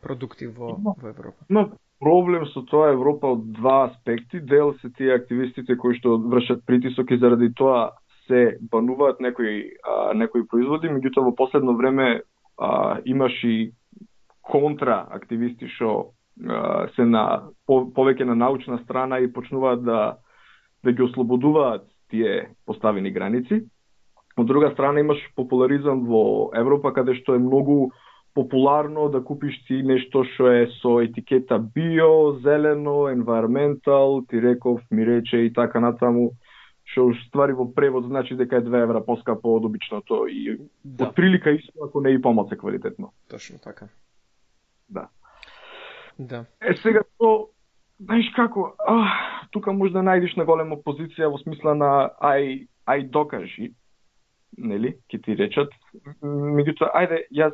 продукти во во Европа. Има проблем со тоа Европа од два аспекти. Дел се тие активистите кои што вршат притисок и заради тоа се бануваат некои а, некои производи, меѓутоа во последно време а, имаш и контра активисти што а, се на по, повеќе на научна страна и почнуваат да да ги ослободуваат тие поставени граници. Од друга страна имаш популаризам во Европа каде што е многу популарно да купиш си нешто што е со етикета био, зелено, environmental, ти реков, ми рече и така натаму, што ствари во превод значи дека е две евра поскапо од обичното и Да. од прилика исто ако не и помалку квалитетно. Точно така. Да. Да. Е сега то знаеш како, а, тука може да најдеш на голема позиција во смисла на ај ај докажи, нели, ќе ти речат. Меѓутоа, ајде, јас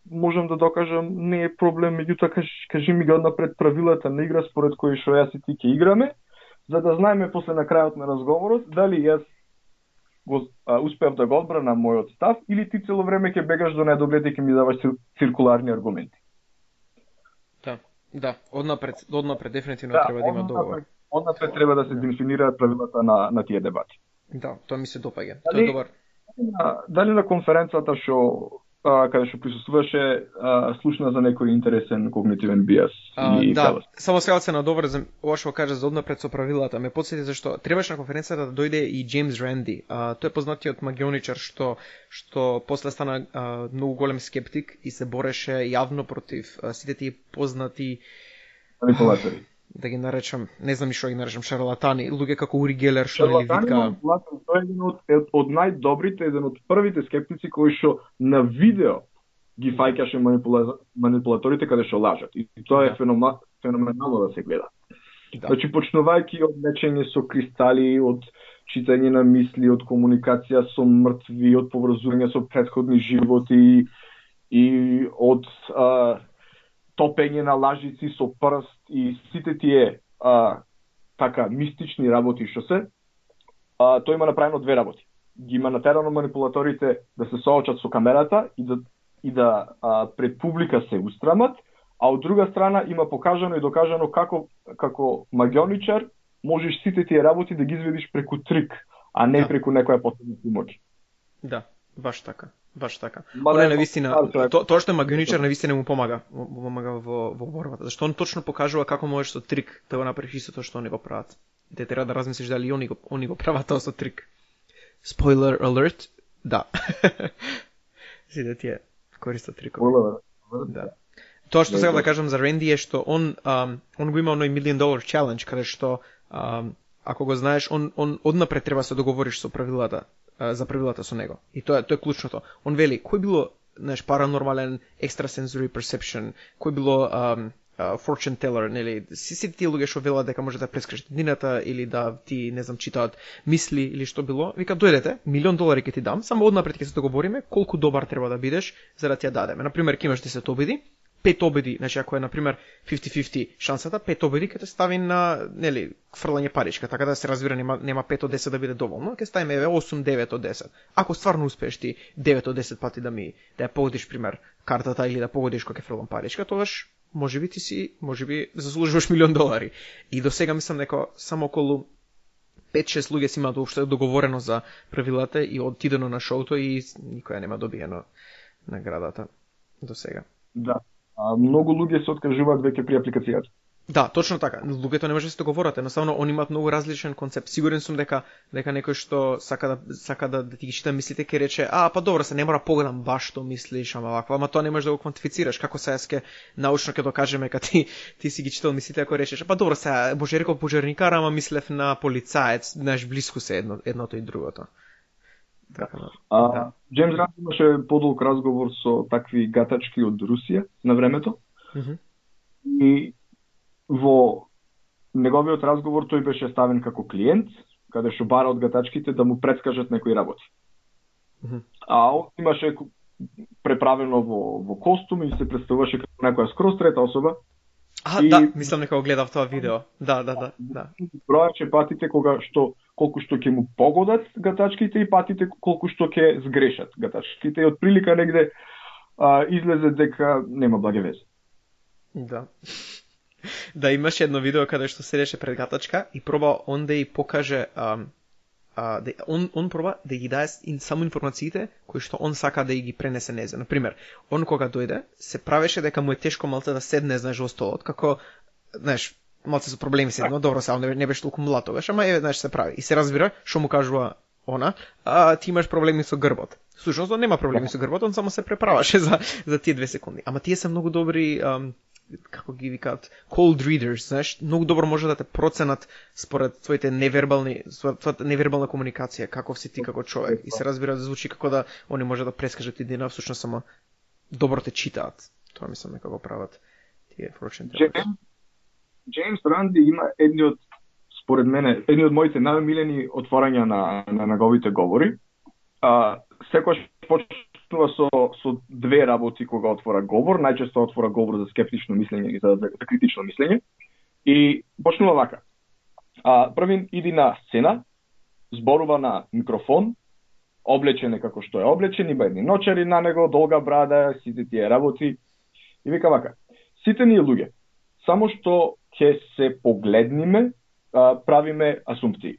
можам да докажам, не е проблем, меѓутоа кажи, кажи ми ги однапред правилата на игра според кои што јас и ти ќе играме, за да знаеме после на крајот на разговорот дали јас го а, успеав да го одбранам мојот став или ти цело време ќе бегаш до недоглед и ќе ми даваш цир, циркуларни аргументи. Да. Да, однапред, однапред дефинитивно Да, треба да има однапред- договор. Однапред треба да се дефинираат правилата на на тие дебати. Да, тоа ми се допаѓа. Тоа Дали- е добар. На, дали на конференцата што а, каде што присуствуваше а, слушна за некој интересен когнитивен биас А, или да, фелос? само сега се надоврзам, ова што кажа за однапред со правилата. Ме потсети зашто требаше на конференцијата да дојде и Джеймс Ранди. А, тој е познатиот магионичар што што после стана а, многу голем скептик и се бореше јавно против а, сите тие познати, Манипулатори. да ги наречам, не знам и што ги наречам, шарлатани, луѓе како Ури Гелер што нели Шарлатани, вика. манипулатори, тој е еден од, од, од најдобрите, еден од првите скептици кои што на видео ги фаќаше манипула... манипулаторите каде што лажат. И тоа е Да. фенома... феноменално да се гледа. Да. Значи, почнувајќи од лечење со кристали, од читање на мисли, од комуникација со мртви, од поврзување со претходни животи и од а, топење на лажици со прст и сите тие а, така мистични работи што се, а, тој има направено две работи. Ги има натерано манипулаторите да се соочат со камерата и да и да а, пред публика се устрамат, а од друга страна има покажано и докажано како како магионичар можеш сите тие работи да ги изведиш преку трик, а не Да. преку некоја посебна моќ. Да, баш така. Баш така. Мада Оне е навистина, стар човек. то, тоа што е магионичар навистина му помага, му му помага во во борбата, зашто он точно покажува како можеш со трик да го направиш истото што они го прават. Те треба да размислиш дали и они го они го прават тоа со трик. Spoiler alert, Да. Сите тие користат трикови. Да. Тоа што сега да кажам за Ренди е што он um, он го има оној million dollar challenge каде што um, ако го знаеш он он однапред треба се договориш со правилата uh, за правилата со него. И тоа тоа е клучното. Он вели кој било знаеш паранормален extrasensory perception, кој било um, uh, fortune teller, нели сите тие луѓе што велат дека може да прескажат днината или да ти не знам читаат мисли или што било, вика дојдете, милион долари ќе ти дам, само однапред ќе се договориме колку добар треба да бидеш за да ти ја дадеме. На пример, ќе имаш десет обиди, пет обиди, значи ако е на пример фифти фифти шансата, пет обиди ќе те стави на, нели, фрлање паричка, така да се разбира нема нема пет од десет да биде доволно, ќе ставиме еве осум девет од десет. Ако стварно успееш ти девет од десет пати да ми да ја погодиш пример картата или да погодиш кога ќе фрлам паричка, тогаш можеби ти си, можеби заслужуваш милион долари. И до сега мислам дека само околу пет-шест луѓе си имаат уопште договорено за правилата и отидено на шоуто и никоја нема добиено наградата до сега. Да. А многу луѓе се откажуваат веќе при апликацијата. Да, точно така. Луѓето не може да се договорат, едноставно они имаат многу различен концепт. Сигурен сум дека дека некој што сака да сака да, да ти ги чита мислите ќе рече: "А, па добро, се не мора погledам баш што мислиш, ама ваква, ама тоа не можеш да го квантифицираш. Како сега ске научно ќе докажеме кога ти ти си ги читал мислите ако речеш: "Па добро, сега може рекол пожарникар, ама мислев на полицаец", знаеш, блиску се едно едното и другото. Така, а, да. Джеймс Ранд имаше подолг разговор со такви гатачки од Русија на времето. Mm-hmm. И во неговиот разговор тој беше ставен како клиент, каде што бара од гатачките да му предскажат некои работи. Mm-hmm. А он имаше преправено во, во костум и се представуваше како некоја скроз трета особа. А, и... да, мислам дека го гледав тоа видео. Да, да, да, да. Бројаче патите кога што колку што ќе му погодат гатачките и патите колку што ќе сгрешат гатачките и од прилика негде а, излезе дека нема благе везе. Да. Да, имаше едно видео каде што седеше пред гатачка и проба он да ја покаже а, а, да, он, он проба да ги даде само информациите кои што он сака да ги пренесе незе. Например, он кога дојде, се правеше дека му е тешко малце да седне, знаеш, во столот, како, знаеш, малце со проблеми седно, добро, сега не, не беше толку млад тогаш, ама е, знаеш, се прави. И се разбира, што му кажува она, а ти имаш проблеми со грбот. Всушност, он нема проблеми со грбот, он само се преправаше за, за тие две секунди. Ама тие се многу добри, ам, како ги викаат, cold readers, знаеш, многу добро може да те проценат според твоите невербални, твојата невербална комуникација, каков си ти како човек. И се разбира да звучи како да они може да прескажат идеја, всушност само добро те читаат. Тоа мислам дека го прават тие fortune tellers. Джеймс Ранди има едни од, според мене, едни од моите најомилени отворања на, на неговите говори. А, секојаш почнува со, со две работи кога отвора говор, најчесто отвора говор за скептично мислење и за, за, за критично мислење. И почнува вака. А, првин иди на сцена, зборува на микрофон, облечен е како што е облечен, има едни ночари на него, долга брада, сите тие работи. И вика вака, сите ние луѓе, само што ќе се погледниме, а, правиме асумпции.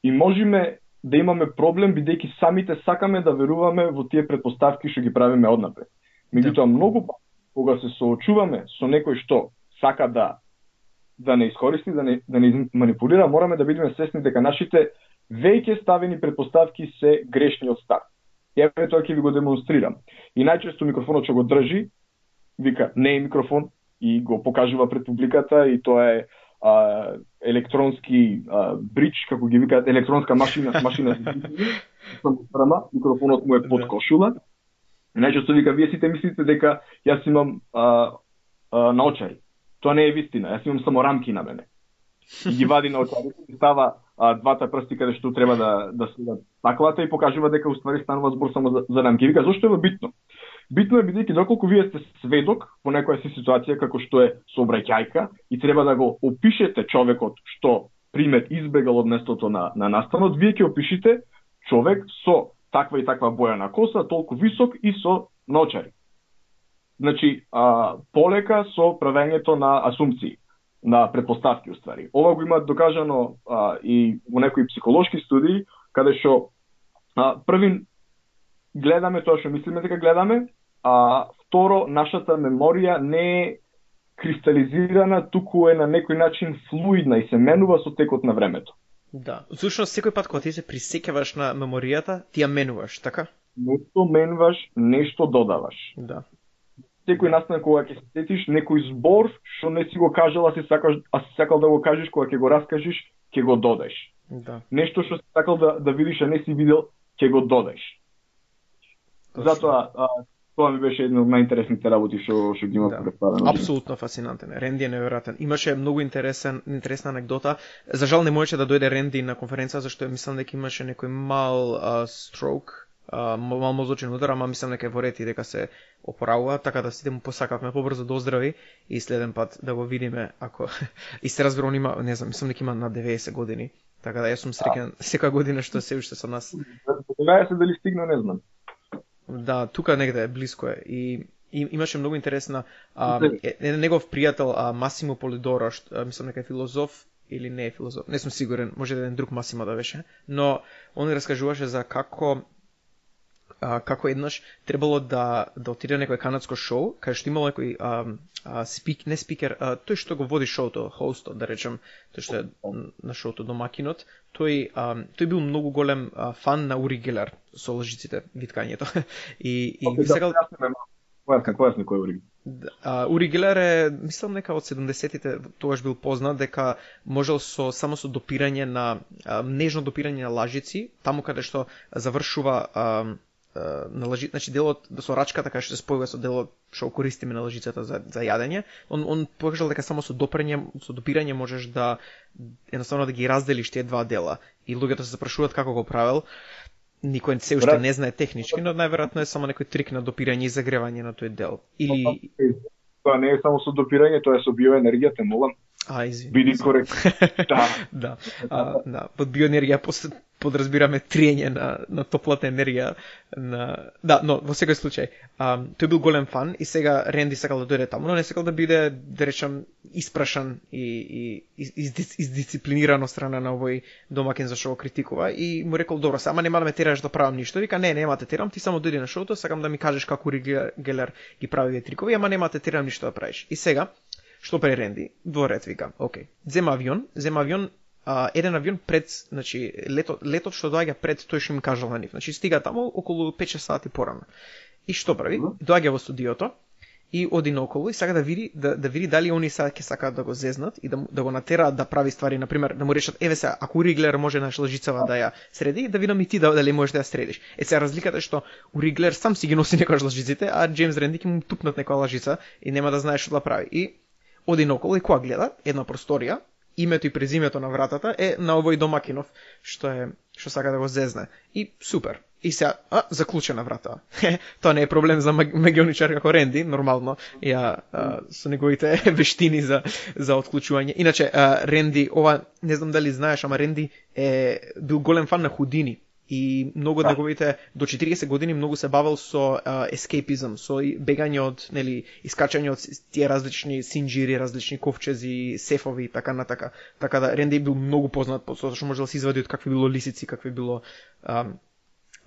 И можеме да имаме проблем, бидејќи самите сакаме да веруваме во тие претпоставки што ги правиме однапред. Меѓутоа, многу кога се соочуваме со некој што сака да да не искористи, да не, да не манипулира, мораме да бидеме свесни дека нашите веќе ставени претпоставки се грешни од старт. И еве тоа ќе ви го демонстрирам. И најчесто микрофонот што го држи, вика, не е микрофон, и го покажува пред публиката, и тоа е а, електронски а, бридж, како ги викаат, електронска машина, машина за прама, микрофонот му е под кошула. И најчесто вика, вие сите мислите дека јас имам а, а, наочари. Тоа не е вистина, јас имам само рамки на мене. И ги вади наочарите, и става а, двата прсти каде што треба да да следат таклата и покажува дека уствари станува збор само за, за рамки. Вика, зошто е битно? Битно е бидејќи доколку вие сте сведок во некоја си ситуација како што е сообраќајка и треба да го опишете човекот што пример избегал од местото на на настанот, вие ќе опишите човек со таква и таква боја на коса, толку висок и со наочари. Значи, а, полека со правењето на асумпции, на претпоставки уствари. Ова го имаат докажано а, и во некои психолошки студии, каде што а, првин гледаме тоа што мислиме дека гледаме, а второ, нашата меморија не е кристализирана, туку е на некој начин флуидна и се менува со текот на времето. Да. Всушност секој пат кога ти се присеќаваш на меморијата, ти ја менуваш, така? Нешто менваш, нешто додаваш. Да. Секој настан кога ќе се сетиш некој збор што не си го кажал, а си сакаш, а си сакал да го кажеш, кога ќе го раскажеш, ќе го додаш. Да. Нешто што си сакал да да видиш, а не си видел, ќе го додаш. Затоа а, тоа ми беше една од најинтересните работи што што ги има Да. представено. Апсолутно фасцинантен. Ренди е неверојатен. Имаше многу интересен интересна анекдота. За жал не можеше да дојде Ренди на конференца зашто мислам дека имаше некој мал а, строк, а, мал мозочен удар, ама мислам дека е во ред и дека се опоравува, така да сите му посакавме побрзо да оздрави и следен пат да го видиме ако и се разбира он има, не знам, мислам дека има на деветесет години. Така да јас сум среќен секоја година што се уште со нас. Знаеш се дали стигна, не знам. Да, тука негде е, блиско е. И, и имаше многу интересна а, еден негов пријател, а, Масимо Полидора, што а, мислам дека е филозоф или не е филозоф, не сум сигурен, може да еден друг Масимо да беше, но он раскажуваше за како а, како еднаш требало да да отиде на некој канадско шоу, кај што имало некој а, а, спик, не спикер, а, тој што го води шоуто, хостот, да речем, тој што е на шоуто домакинот, тој а, тој бил многу голем а, фан на Ури Гелер со лжиците, виткањето. и и Okay, сакал Кој е кој е кој Ури? Uh, Ури Гелер е, мислам дека од седумдесетите тогаш бил познат дека можел со само со допирање на а, нежно допирање на лажици, таму каде што завршува а, а, на лажи, значи делот да со рачката каде што се спојува со делот што користиме на лажицата за за јадење, он он покажал дека само со допирање, со допирање можеш да едноставно да ги разделиш тие два дела. И луѓето се запрашуваат како го правел. Никој се уште не знае технички, но најверојатно е само некој трик на допирање и загревање на тој дел. Или Тоа не е само со допирање, тоа е со биоенергија, те молам. А, извини. Биди коректен. Да. Да. А, да. Под биоенергија подразбираме триење на, на топлата енергија. На... Да, но во секој случај, а, тој бил голем фан и сега Ренди сакал да дојде таму, но не сакал да биде, да речам, испрашан и, и из, издисциплиниран од страна на овој домаќин за што го критикува и му рекол, добро, ама нема да ме тераш да правам ништо. Вика, не, нема те терам, ти само дојди на шоуто, сакам да ми кажеш како Ури Гелер ги прави овие трикови, ама нема те терам ништо да правиш. И сега што прави Ренди? Дворец вика, окей. Зема авион, зема авион, а, еден авион пред, значи лето, летот што доаѓа пред тој што им кажал на нив. Значи стига таму околу пет-шест сати порано. И што прави? Доаѓа во студиото и оди наоколу и сака да види да, да види дали они сега ќе сакаат да го зезнат и да, да го натераат да прави ствари, на пример, да му речат еве се, ако Ури Гелер може на лжицава да ја среди, да видам и ти да, дали можеш да ја средиш. Е сега разликата е што Ури Гелер сам си ги носи некојаш лжиците, а Джеймс Ренди ќе му тупнат некоја лжица и нема да знае што да прави. И оди наоколу и кога гледа една просторија, името и презимето на вратата е на овој домакинов што е што сака да го зезне. И супер. И сега, а, заклучена врата. Тоа не е проблем за магионичар како Ренди, нормално, ја а, со неговите вештини за за отклучување. Иначе а, Ренди, ова не знам дали знаеш, ама Ренди е бил голем фан на Худини. И многу од неговите до четириесет години многу се бавел со ескейпизм, со бегање од, нели, искачање од тие различни синџири, различни ковчези, сефови и така натака. Така да Ренди бил многу познат по тоа што може да се извади од какви било лисици, какви било а,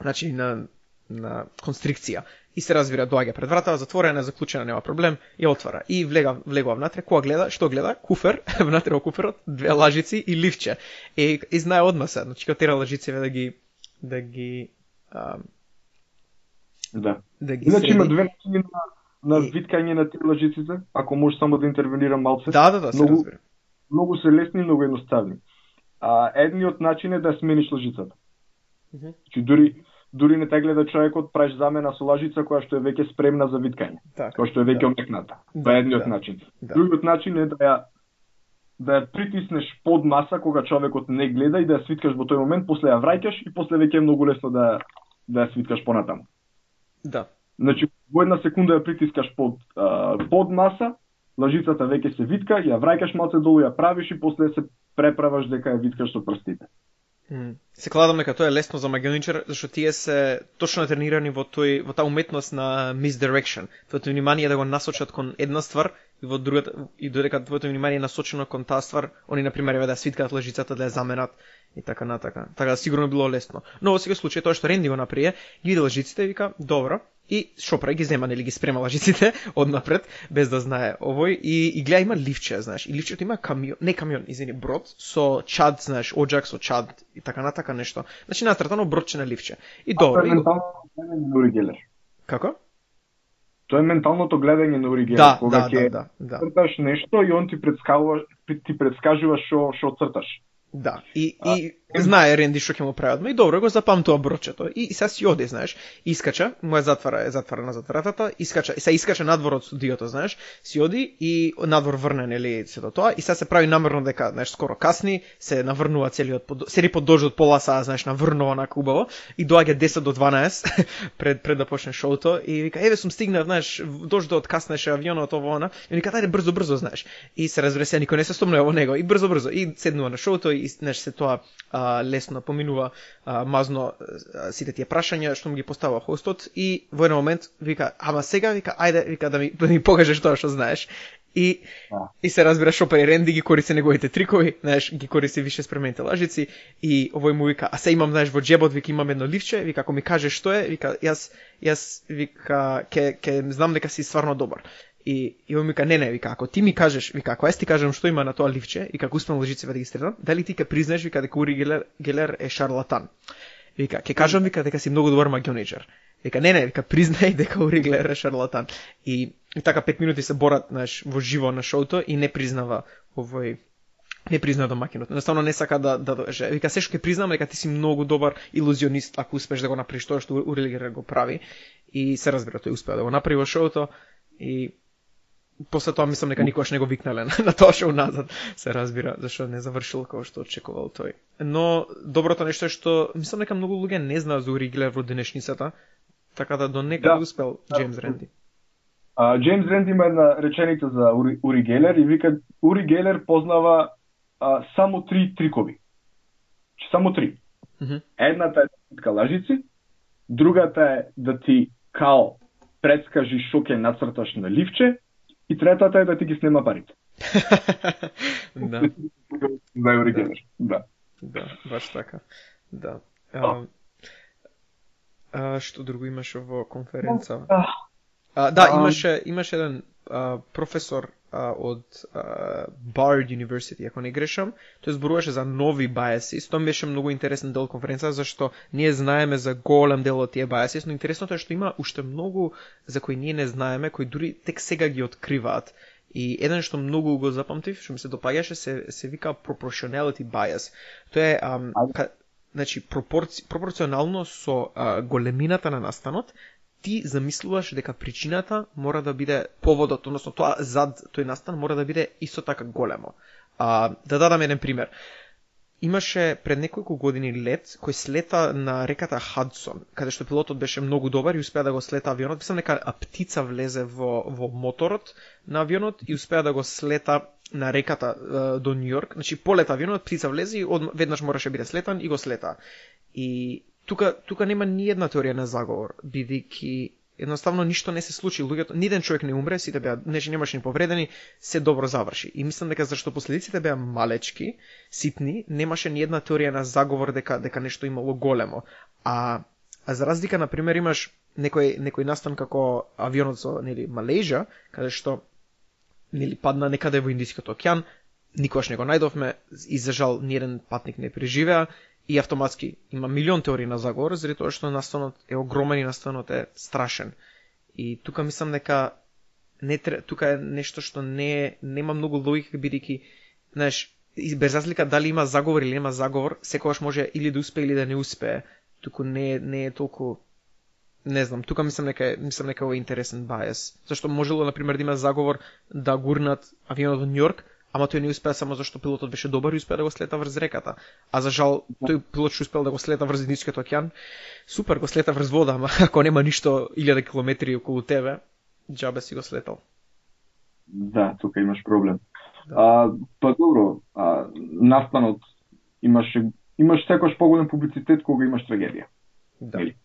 значи на на констрикција. И се разбира, доаѓа пред вратата, затворена, заклучена, нема проблем, ја отвара. И влега, влегува внатре, кога гледа, што гледа? Куфер, внатре во куферот, две лажици и ливче. И, и знае одма се, значи кога тера лажиците да ги да ги а, да. Да ги Иначе среди. има две начини на, на виткање на тие лажиците, ако може само да интервенирам малце. Да, да, да, се многу, разбира. Многу се лесни, многу едноставни. А едниот начин е да смениш лажицата. Mm -hmm. Значи дури дури не те гледа човекот, правиш замена со лажица која што е веќе спремна за виткање. Така, која што е веќе да. омекната. Да, Тоа е едниот да, начин. да. Другиот начин е да ја да ја притиснеш под маса кога човекот не гледа и да ја свиткаш во тој момент, после ја враќаш и после веќе е многу лесно да да ја свиткаш понатаму. Да. Значи во една секунда ја притискаш под а, под маса, лажицата веќе се витка, ја враќаш малце долу, ја правиш и после се преправаш дека ја виткаш со прстите. Mm. Се кладам дека тоа е лесно за магионичар, зашто тие се точно тренирани во тој во таа уметност на misdirection. Твоето внимание да го насочат кон една ствар и во другата и додека твоето внимание е насочено кон таа ствар, они на пример еве да свиткаат лажицата, да ја заменат и така натака. Така да сигурно било лесно. Но во секој случај тоа што Ренди го направи, ги види лажиците и вика, добро, И шопра ги зема, нели ги спрема лажиците однапред, без да знае овој, и, и гледа има ливче, знаеш, и ливчето има камион, не камион, извини, брод, со чад, знаеш, оджак со чад, и така натака нешто. Значи натратано бродче на ливче. И добро. Тоа е менталното гледање на Ури Гелер. Како? Тоа е менталното гледање на Ури Гелер, да, кога да, ќе да, да, да. црташ нешто и он ти предскажува, ти предскажува што што црташ. Да, и, и а, знае Ренди што ќе му прават, но и добро го запамтува брочето. И, и сега си оди, знаеш, искача, му е затвара, е затвара на затвратата, искача, и сега искача надвор од студиото, знаеш, си оди и надвор врне, нели, сето тоа, и сега се прави намерно дека, знаеш, скоро касни, се наврнува целиот, под, сели под дожд од пола саа, знаеш, наврнува на убаво, и доаѓа десет до дванаесет пред, пред да почне шоуто, и вика, еве сум стигнав, знаеш, дождот каснеше, авионот, ово, она, и вика, ајде брзо, брзо, знаеш, и се разбере се, никој не се стомнува во него, и брзо, брзо, и седнува на шоуто, и, знаеш, се тоа а, лесно поминува а, мазно а, сите тие прашања што му ги поставува хостот, и во еден момент вика, ама сега, вика, ајде, вика, да ми, да ми покажеш тоа што знаеш. И, а. и се разбира шопер и Ренди ги користи неговите трикови, знаеш, ги користи више спремените лажици, и овој му вика, а се имам, знаеш, во джебот, вика, имам едно ливче, вика, ако ми кажеш што е, вика, јас, јас, вика, ке, ке знам дека си стварно добар. И, и он вика, не, не, вика, ако ти ми кажеш, вика, ако јас ти кажам што има на тоа ливче и како успеам лжиците да ги стрелам, дали ти ке признаеш, вика, дека Ури Гелер, Гелер е шарлатан? Вика, ке кажам, вика, дека си многу добар магионичар. Вика, не, не, вика, признај дека Ури Гелер е шарлатан. И, и така пет минути се борат, знаеш, во живо на шоуто и не признава овој, не признава домакинот. Едноставно не сака да да доже. Вика, се што ќе признам дека ти си многу добар илузионист ако успеш да го направиш тоа што Ури Гелер го прави. И се разбира, тој успеа да го направи во шоуто и после тоа мислам дека никош не го викнале на, на тоа шоу назад, се разбира, зашто не завршил како што очекувал тој. Но доброто нешто е што мислам дека многу луѓе не знаат за Ури Гелер во денешницата, така да до некаде да, успел Џејмс Ренди. А, Џејмс Ренди има една реченица за Ури, Ури Гелер и вика, Ури Гелер познава а, само три трикови. Само три. Mm-hmm. Едната е да лажици, другата е да ти као предскажи што ќе нацрташ на ливче, и третата е да ти ги снема парите. Да. За Ури Гелер. Да. Да, баш така. Да. А, а, што друго имаше во конференца? А, да, имаше имаше еден а, професор а, од а, Bard University, ако не грешам, тој зборуваше за нови biases. Тоа беше многу интересен дел конференца, зашто ние знаеме за голем дел од тие biases, но интересното е што има уште многу за кои ние не знаеме, кои дури тек сега ги откриваат. И еден што многу го запамтив, што ми се допаѓаше, се се вика proportionality bias. Тоа е ам, ка, значи пропорци, пропорционално со а, големината на настанот, ти замислуваш дека причината мора да биде поводот, односно тоа зад тој настан мора да биде исто така големо. А, да дадам еден пример. Имаше пред неколку години лет кој слета на реката Хадсон, каде што пилотот беше многу добар и успеа да го слета авионот. Мислам дека птица влезе во во моторот на авионот и успеа да го слета на реката е, до Њујорк. Значи полета авионот, птица влезе и од, веднаш мораше биде слетан и го слета. И тука тука нема ни една теорија на заговор, бидејќи едноставно ништо не се случи, луѓето, ниден човек не умре, сите беа, нешто немаше ни повредени, се добро заврши. И мислам дека зашто последиците беа малечки, ситни, немаше ни една теорија на заговор дека дека нешто имало големо. А а за разлика на пример имаш некој некој настан како авионот со, нели, Малезија, каде што нели падна некаде во Индискиот океан, никогаш не го најдовме и за жал ниеден патник не преживеа. И автоматски има милион теории на заговор, заради тоа што настанот е огромен и настанот е страшен. И тука мислам дека не тука е нешто што не нема многу логика, бидејќи, знаеш, без разлика дали има заговор или нема заговор, секогаш може или да успее или да не успее. Туку не не е толку, не знам, тука мислам дека мислам дека е интересен бајас. Зашто можело на пример да има заговор да гурнат авионот во Њујорк, ама тој не успеа само зашто пилотот беше добар и успеа да го слета врз реката. А за жал, тој пилот што успел да го слета врз Индискиот океан, супер, го слета врз вода, ама ако нема ништо илјади километри околу тебе, џабе си го слетал. Да, тука имаш проблем. Да. А, па добро, а, настанот имаше имаш секојаш поголем публицитет кога имаш трагедија. Да. Или?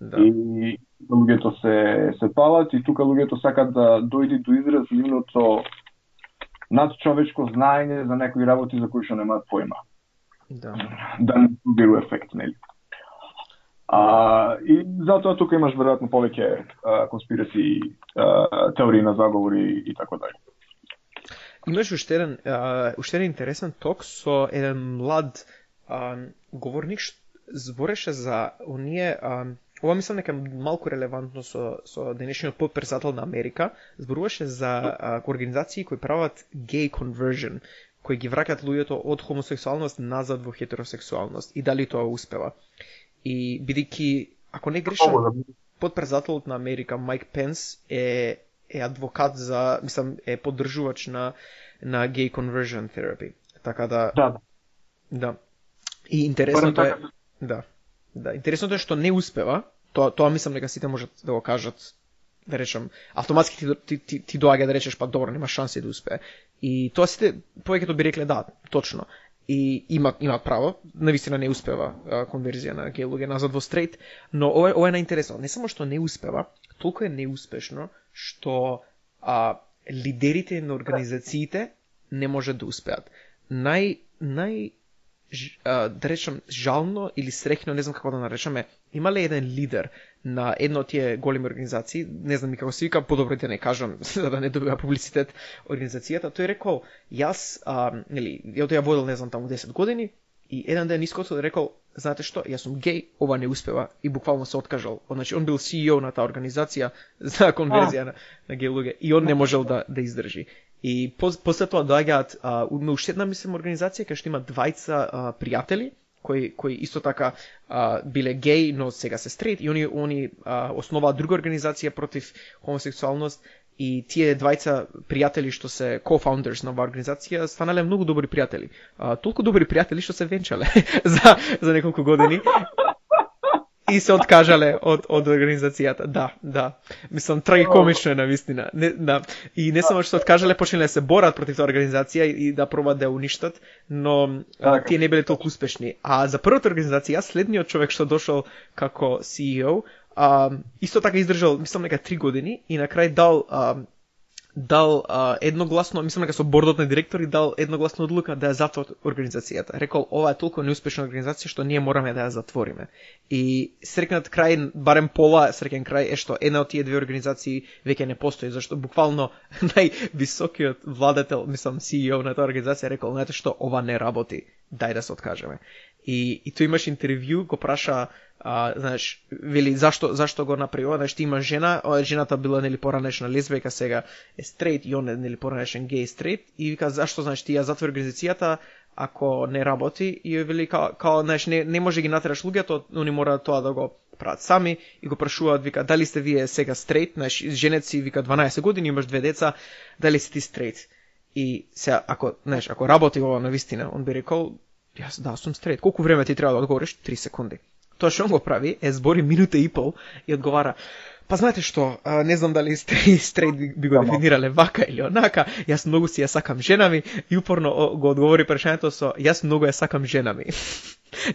Да. И луѓето се се палат и тука луѓето сакат да дојде до израз нивното надчовечко знаење за некои работи за кои што немаат појма. Да. Да не соберу ефект, нели? А, и затоа тука имаш веројатно повеќе конспираци, а, теории на заговори и така дале. Имаш уште еден, а, уште еден интересен ток со еден млад а, говорник што збореше за оние, а, ова мислам дека малку релевантно со, со денешниот потпредседател на Америка, зборуваше за а, организации кои прават gay conversion, кои ги враќаат луѓето од хомосексуалност назад во хетеросексуалност и дали тоа успева. И бидејќи, ако не грешам, потпредседателот на Америка Майк Пенс е е адвокат за, мислам, е поддржувач на на gay conversion therapy. Така да Да. Да. И интересното е да. Да, интересното е што не успева. Тоа тоа мислам дека сите можат да го кажат, да речам, автоматски ти ти ти, ти доаѓа да речеш па добро, нема шанси да успее. И тоа сите повеќето би рекле да, точно. И има имаат право, навистина не успева а, конверзија на геј луѓе назад во стрейт, но ова ова е најинтересно. Не само што не успева, толку е неуспешно што а, лидерите на организациите не може да успеат. Нај нај а, да речам жално или среќно, не знам како да наречаме, имале еден лидер на една од тие големи организации, не знам и како се вика, подобро да не кажам за да не добива публицитет организацијата, тој рекол, јас, а, нели, ја тоа ја водел, не знам, таму десет години, и еден ден искоцо рекол, знаете што, јас сум геј, ова не успева, и буквално се откажал. Значи, он бил си и о на таа организација за конверзија на, на геј луѓе, и он не можел да, да издржи. И после тоа доаѓаат уште една, мислам, организација кај што има двајца а, пријатели, кои кои исто така а, биле геј, но сега се стрейт, и они они а, основаат друга организација против хомосексуалност, и тие двајца пријатели што се co-founders на оваа организација станале многу добри пријатели. А, толку добри пријатели што се венчале за за неколку години. И се откажале од од организацијата. Да, да. Мислам трагикомично е навистина. Не, да. И не само што се откажале, почнале да се борат против таа организација и да пробаат да ја уништат, но а, тие не биле толку успешни. А за првата организација, следниот човек што дошол како си и о, а, исто така издржал, мислам дека три години и на крај дал а, дал а, едногласно, мислам дека со бордот на директори дал едногласно одлука да ја затвори организацијата. Рекол, ова е толку неуспешна организација што ние мораме да ја затвориме. И среќниот крај, барем пола среќен крај е што една од тие две организации веќе не постои, зашто буквално највисокиот владетел, мислам си и о на таа организација рекол, знаете што, ова не работи, дај да се откажеме. И и тој имаш интервју, го праша, а, знаеш, вели зашто зашто го направи ова, знаеш, ти има жена, ова жената била нели поранешна лесбијка, сега е стрейт, и он е нели поранешен геј стрейт, и вика зашто, знаеш, ти ја затвори организацијата ако не работи, и ја вели као, као знаеш, не не може ги натераш луѓето, они мора тоа да го прават сами, и го прашуваат, вика, дали сте вие сега стрейт, знаеш, женет си, вика, дванаесет години, имаш две деца, дали си ти стрейт? И сега ако, знаеш, ако работи ова навистина, он би рекол, јас да сум стрейт. Колку време ти треба да одговориш? три секунди. Тоа што он го прави е збори минута и пол и одговара: па знаете што, а, не знам дали сте стрейт би, би го дефинирале вака или онака, јас многу си ја сакам жена ми, и упорно о, го одговори прашањето со јас многу ја сакам жена ми.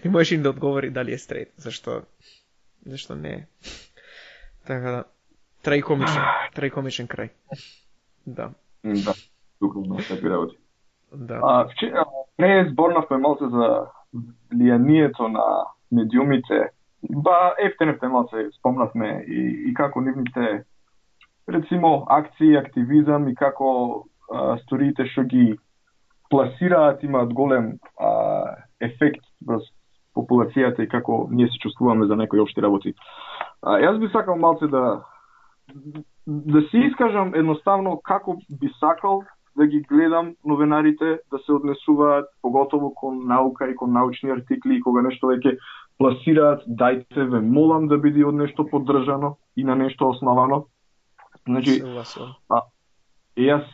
Не можеш им да одговори дали е стрейт, зашто зашто не е. Така да, трагикомичен, трагикомичен крај. Да. Да, духовно такви работи. Да. А, вчера не зборнавме малце за влијанието на медиумите. Ба, ефтенефте малце спомнавме и, и како нивните, рецимо, акции, активизам и како а, сториите што ги пласираат имаат голем а, ефект врз популацијата и како ние се чувствуваме за некои општи работи. А, јас би сакал малце да да се искажам едноставно како би сакал да ги гледам новинарите да се однесуваат, поготово кон наука и кон научни артикли, и кога нешто веќе пласираат, дајте ве молам да биде од нешто поддржано и на нешто основано. Значи, а, јас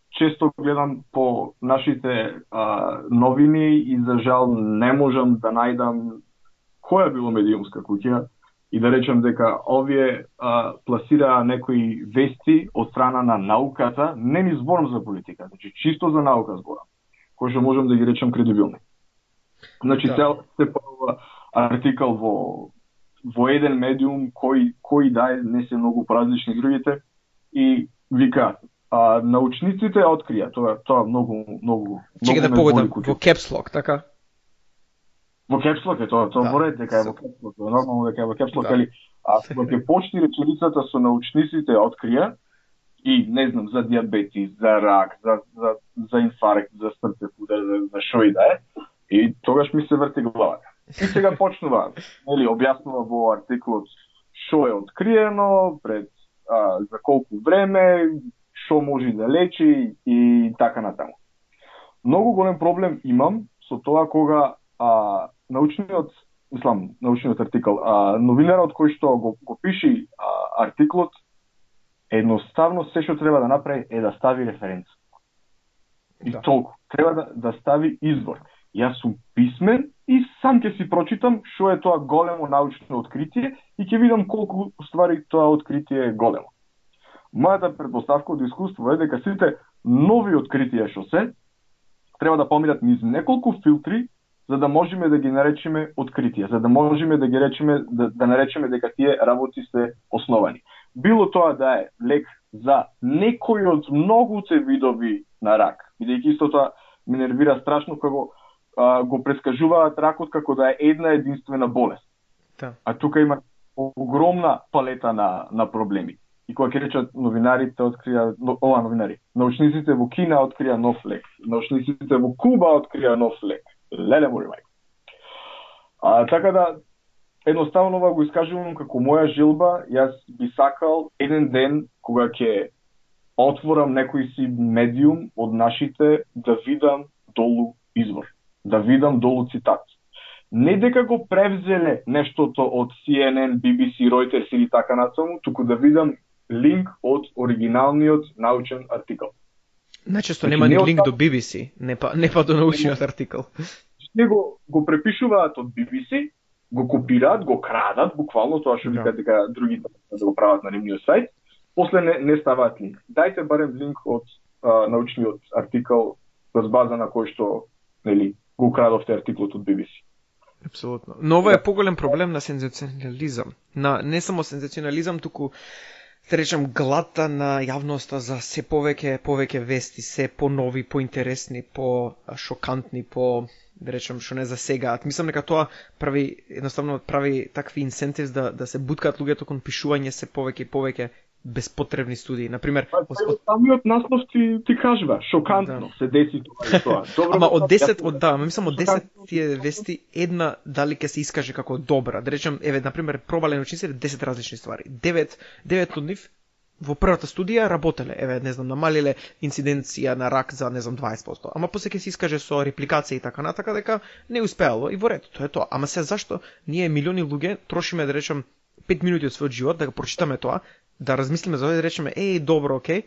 често гледам по нашите а, новини и за жал не можам да најдам која било медиумска куќа и да речем дека овие а, пласираа некои вести од страна на науката, не ни зборам за политика, значи чисто за наука зборам, кој што можам да ги речем кредибилни. Значи да. Цел се појавува артикал во во еден медиум кој кој да не се многу различни другите и вика а, научниците открија, тоа тоа многу многу Чека да погодам во caps lock, така? Во кепслок е тоа, тоа Да, мора дека е се- во кепслок, е нормално дека е во кепслок, Да. али а кога ќе почне реченицата со научниците открија и не знам за дијабетис, за рак, за за за инфаркт, за срцев удар, за, за шо и да е, и тогаш ми се врти главата. И сега почнува, нели, објаснува во артиклот што е откриено, пред а, за колку време, што може да лечи и така натаму. Многу голем проблем имам со тоа кога а, научниот, мислам, научниот артикл, а, новинарот кој што го, го пиши а, артиклот, едноставно се што треба да направи е да стави референца. И Да. толку. Треба да, да стави извор. Јас сум писмен и сам ќе си прочитам што е тоа големо научно откритие и ќе видам колку ствари тоа откритие е големо. Мојата предпоставка од искуство е дека сите нови откритија што се треба да поминат низ неколку филтри за да можеме да ги наречеме откритија, за да можеме да ги речеме да, да наречеме дека тие работи се основани. Било тоа да е лек за некој од многуте видови на рак, бидејќи исто тоа ме нервира страшно како а, го прескажуваат ракот како да е една единствена болест. Да. А тука има огромна палета на, на проблеми. И кога ќе речат новинарите открија, но, ова новинари, научниците во Кина открија нов лек, научниците во Куба открија нов лек. Леле мори мајка. А, така да, едноставно ова го искажувам како моја желба, јас би сакал еден ден кога ќе отворам некој си медиум од нашите да видам долу извор, да видам долу цитат. Не дека го превзеле нештото од Си Ен Ен, Би Би Си, Reuters или така натаму, туку да видам линк од оригиналниот научен артикл. Најчесто Значи, нема ни не линк остав- до Би Би Си, не па не па до научниот артикл. Тие го, го препишуваат од Би Би Си, го копираат, го крадат, буквално тоа што Да. викаат дека другите да го прават на нивниот сајт, после не, не ставаат линк. Дајте барем линк од а, научниот артикл врз база на кој што, нели, го крадовте артиклот од Би Би Си. Апсолутно. Но ова е поголем проблем на сензационализам. На не само сензационализам, туку да речем глата на јавноста за се повеќе повеќе вести, се понови, поинтересни, по шокантни, по да речем што не засегаат. Мислам дека тоа прави едноставно прави такви инсентивс да да се буткаат луѓето кон пишување се повеќе и повеќе безпотребни студии. Например, Па, од- самиот наслов ти, ти кажува, шокантно Да. се деси тоа и тоа. Добро, Ама од јас- десет, јас- од да, ама мислам од десет шокантно- тие вести една дали ќе се искаже како добра. Да речем, еве на пример, пробале научниците десет различни ствари. девет девет од нив во првата студија работеле, еве не знам, намалиле инциденција на рак за не знам дваесет проценти. Ама после ќе се искаже со репликација и така натака дека не успеало и во ред, тоа е тоа. Ама се зашто ние милиони луѓе трошиме да речем пет минути од својот живот да го прочитаме тоа, да размислиме за ова и да речеме еј добро, окей,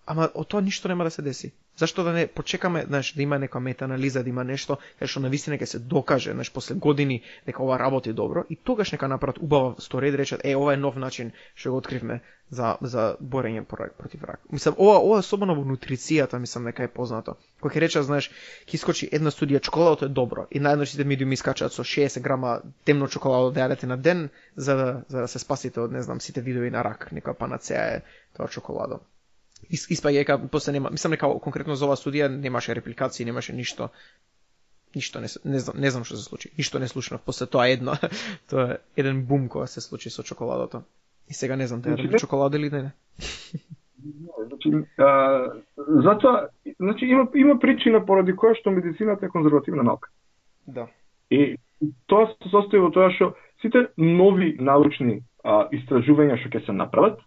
ама од тоа ништо нема да се деси. Зашто да не почекаме, знаеш, да има некоја метаанализа, да има нешто кај што навистина ќе се докаже, знаеш, после години дека ова работи добро и тогаш нека направат убава стори да речат е ова е нов начин што го откривме за за борење против рак. Мислам ова ова особено во нутрицијата мислам дека е познато. Кога ќе речат, знаеш, ќе искочи една студија чоколадото е добро и најднаш сите медиуми искачаат со шеесет грама темно чоколадо да јадете на ден за да за да се спасите од не знам сите видови на рак, некоја панацеа е тоа чоколадо. Испаѓа дека после нема, мислам дека конкретно за оваа студија немаше репликации, немаше ништо. Ништо не не знам, не знам што се случи. Ништо не слушнав после тоа едно. Тоа е еден бум кога се случи со чоколадото. И сега не знам да јадам чоколада или не. Значи, а, затоа, значи има има причина поради која што медицината е конзервативна наука. Да. И тоа се состои во тоа што сите нови научни а, истражувања што ќе се направат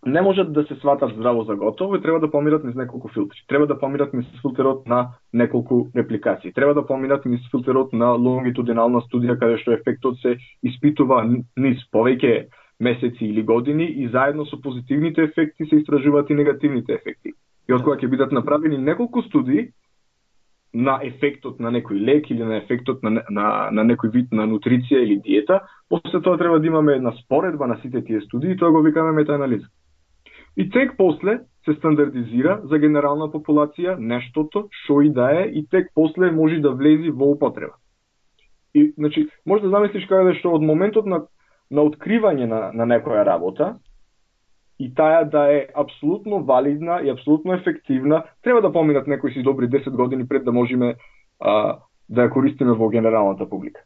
не можат да се сватат здраво за готово и треба да поминат низ неколку филтри. Треба да поминат низ филтерот на неколку репликации. Треба да поминат низ филтерот на лонгитудинална студија каде што ефектот се испитува низ повеќе месеци или години и заедно со позитивните ефекти се истражуваат и негативните ефекти. И од кога ќе бидат направени неколку студии на ефектот на некој лек или на ефектот на, на, на некој вид на нутриција или диета, после тоа треба да имаме една споредба на сите тие студии и тоа го викаме метаанализа. И тек после се стандардизира за генерална популација нештото, што и да е, и тек после може да влези во употреба. И, значи, може да замислиш каде што од моментот на, на откривање на, на некоја работа, и таа да е апсолутно валидна и апсолутно ефективна, треба да поминат некои си добри десет години пред да можеме а, да ја користиме во генералната публика.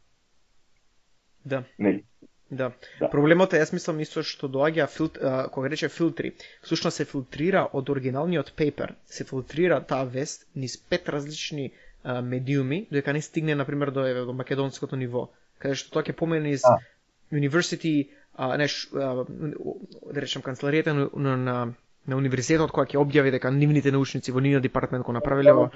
Да. Нели? Да. Да. Проблемот е, јас мислам исто што доаѓа филт, а, кога рече филтри, всушност се филтрира од оригиналниот пейпер, се филтрира таа вест низ пет различни а, медиуми, додека не стигне на пример до, еве, до македонското ниво, каде што тоа ќе помине низ а. University, а, неш, а, да речем канцеларијата на, на, на, на универзитетот која ќе објави дека нивните научници во нивниот департамент го направиле ова.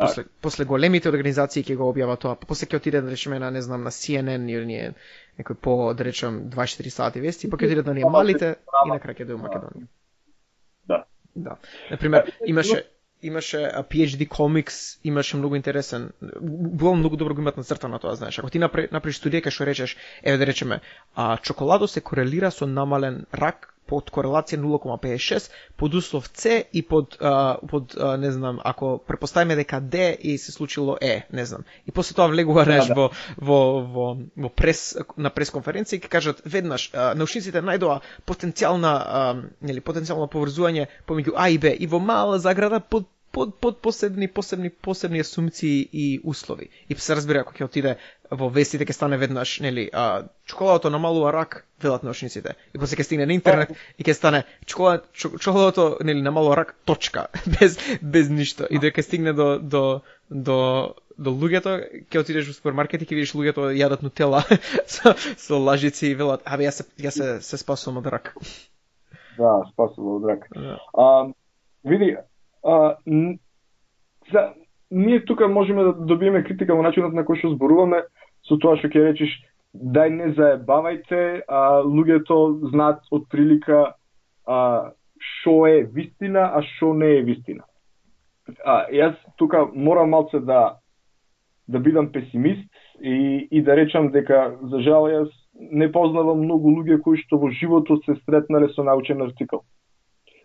После, после големите организации ќе го објава тоа, после ќе отиде да речеме на, не знам, на Си Ен Ен или ние некој по, да речем, дваесет и четири сати вести, па ќе отиде на ние малите и на крај ќе дојде Македонија. Да. Да. Например, имаше имаше Пи Еич Ди Comics, имаше многу интересен, било многу добро го имат нацртано тоа, знаеш. Ако ти направиш студија кај што речеш, еве да речеме, а чоколадо се корелира со намален рак под корелација нула кома педесет и шест, под услов С и под, а, под а, не знам, ако препоставиме дека Д и се случило Е, не знам. И после тоа влегува неш да, да. во во во во прес на пресконференција и ќе кажат веднаш а, научниците најдоа потенцијална а, нели потенцијално поврзување помеѓу А и Б и во мала заграда под под под посебни посебни посебни асумции и услови. И се разбира ако ќе отиде во вестите ќе стане веднаш, нели, а чоколадото намалува рак, велат научниците. И после ќе стигне на интернет и ќе стане чоколад чоколадото, нели, намалува рак точка, без без ништо. И дека стигне до до до до луѓето, ќе отидеш во супермаркет и ќе видиш луѓето јадат нутела со, со лажици и велат, абе јас се јас се, се спасувам од рак. Да, спасувам од рак. Да. А, види, а, н... за ние тука можеме да добиеме критика во начинот на кој што зборуваме, со тоа што ќе речеш, дај не заебавајте, а луѓето знаат од прилика а, шо е вистина, а шо не е вистина. А, јас тука морам малце да да бидам песимист и, и да речам дека, за жал, јас не познавам многу луѓе кои што во животот се сретнале со научен артикал.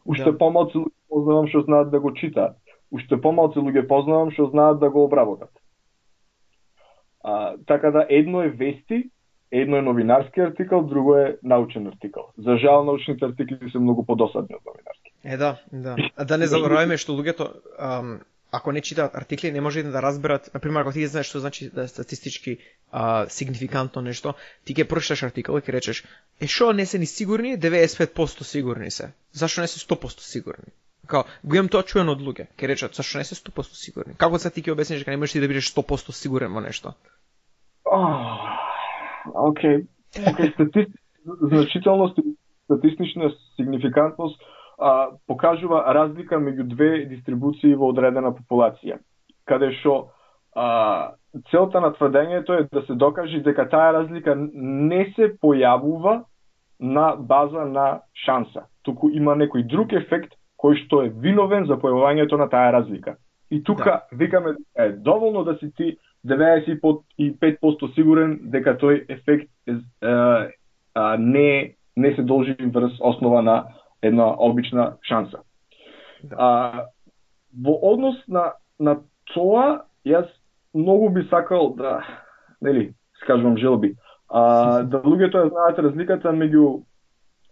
Уште да. Помалку луѓе познавам што знаат да го читаат. Уште помалку луѓе познавам што знаат да го обработат. А, така да едно е вести, едно е новинарски артикал, друго е научен артикал. За жал, научните артикли се многу подосадни од новинарски. Е, да, да. А да не забораваме што луѓето, ам, ако не читаат артикли, не може да разберат, например, ако ти знаеш што значи да статистички а, сигнификантно нешто, ти ќе прочиташ артикал и ќе речеш, е шо не се ни сигурни, деветдесет и пет проценти сигурни се. Зашто не се сто проценти сигурни? Као, го имам тоа чуено од луѓе. Ќе речат, зашто не се сто проценти сигурни? Како се ти ќе објасниш дека не можеш ти да бидеш сто проценти сигурен во нешто? Океј. Океј, статистична значителност и статистична сигнификантност а, покажува разлика меѓу две дистрибуции во одредена популација, каде што а, целта на тврдењето е да се докаже дека таа разлика не се појавува на база на шанса, туку има некој друг ефект кој што е виновен за појавувањето на таа разлика. И тука да. Викаме е доволно да си ти деветдесет и пет проценти сигурен дека тој ефект е, е, е, не не се должи врз основа на една обична шанса. Да. А, во однос на на тоа, јас многу би сакал да, нели, скажувам желби, а, да луѓето ја знаат разликата меѓу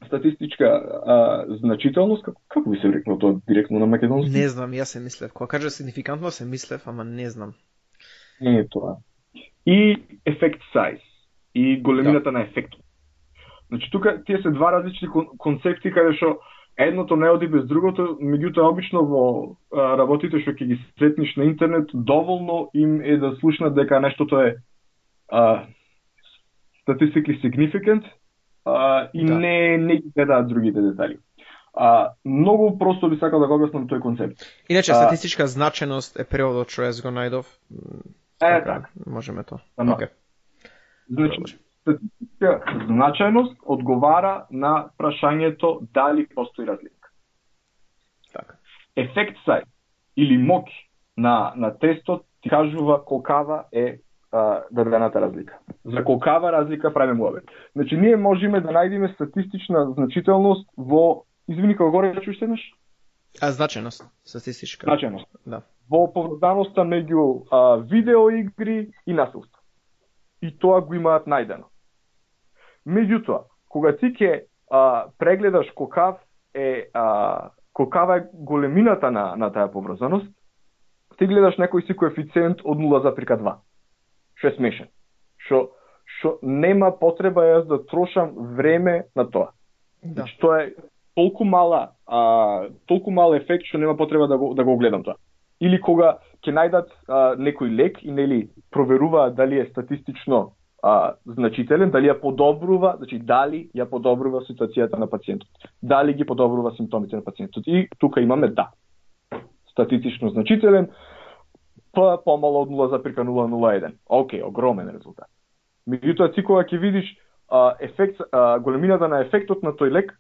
статистичка а, значителност, како, како би се рекнал тоа директно на македонски? Не знам, јас се мислев. Кога кажа сигнификантно се мислев, ама не знам. Не е тоа. И ефект size, и големината да. На ефектот. Значи, тука тие се два различни концепти каде што едното не оди без другото, меѓутоа обично во а, работите што ќе ги сретниш на интернет, доволно им е да слушнат дека нештото е а, statistically significant а, и да. не не ги гледаат другите детали. А, многу просто би сакал да го објаснам тој концепт. Иначе а, статистичка значеност е преводот што јас го најдов. Е, така. Можеме тоа. Okay. Значи, статистичка значајност одговара на прашањето дали постои разлика. Така. Ефект сај или мок на на тестот ти кажува колкава е а, дадената разлика. За колкава разлика правиме муабет. Значи ние можеме да најдеме статистична значителност во, извини, како горе речеш еднаш? А значајност, статистичка. Значајност. Да. Во поврзаноста меѓу а, видеоигри и насилство. И тоа го имаат најдено. Меѓутоа, кога ти ќе а, прегледаш колкав е а, колкава е големината на на таа поврзаност, ти гледаш некој си коефициент од нула запирка два, што е смешен. Што што нема потреба јас да трошам време на тоа. Да. Значи, тоа е толку мала, а, толку мал ефект што нема потреба да го да го гледам тоа. Или кога ќе најдат а, некој лек и нели проверуваат дали е статистично а, значителен, дали ја подобрува, значи дали ја подобрува ситуацијата на пациентот, дали ги подобрува симптомите на пациентот. И тука имаме да. Статистично значителен, па помало од нула запирка нула нула еден. Океј, огромен резултат. Меѓутоа, ти кога ќе видиш а, ефект, а, големината на ефектот на тој лек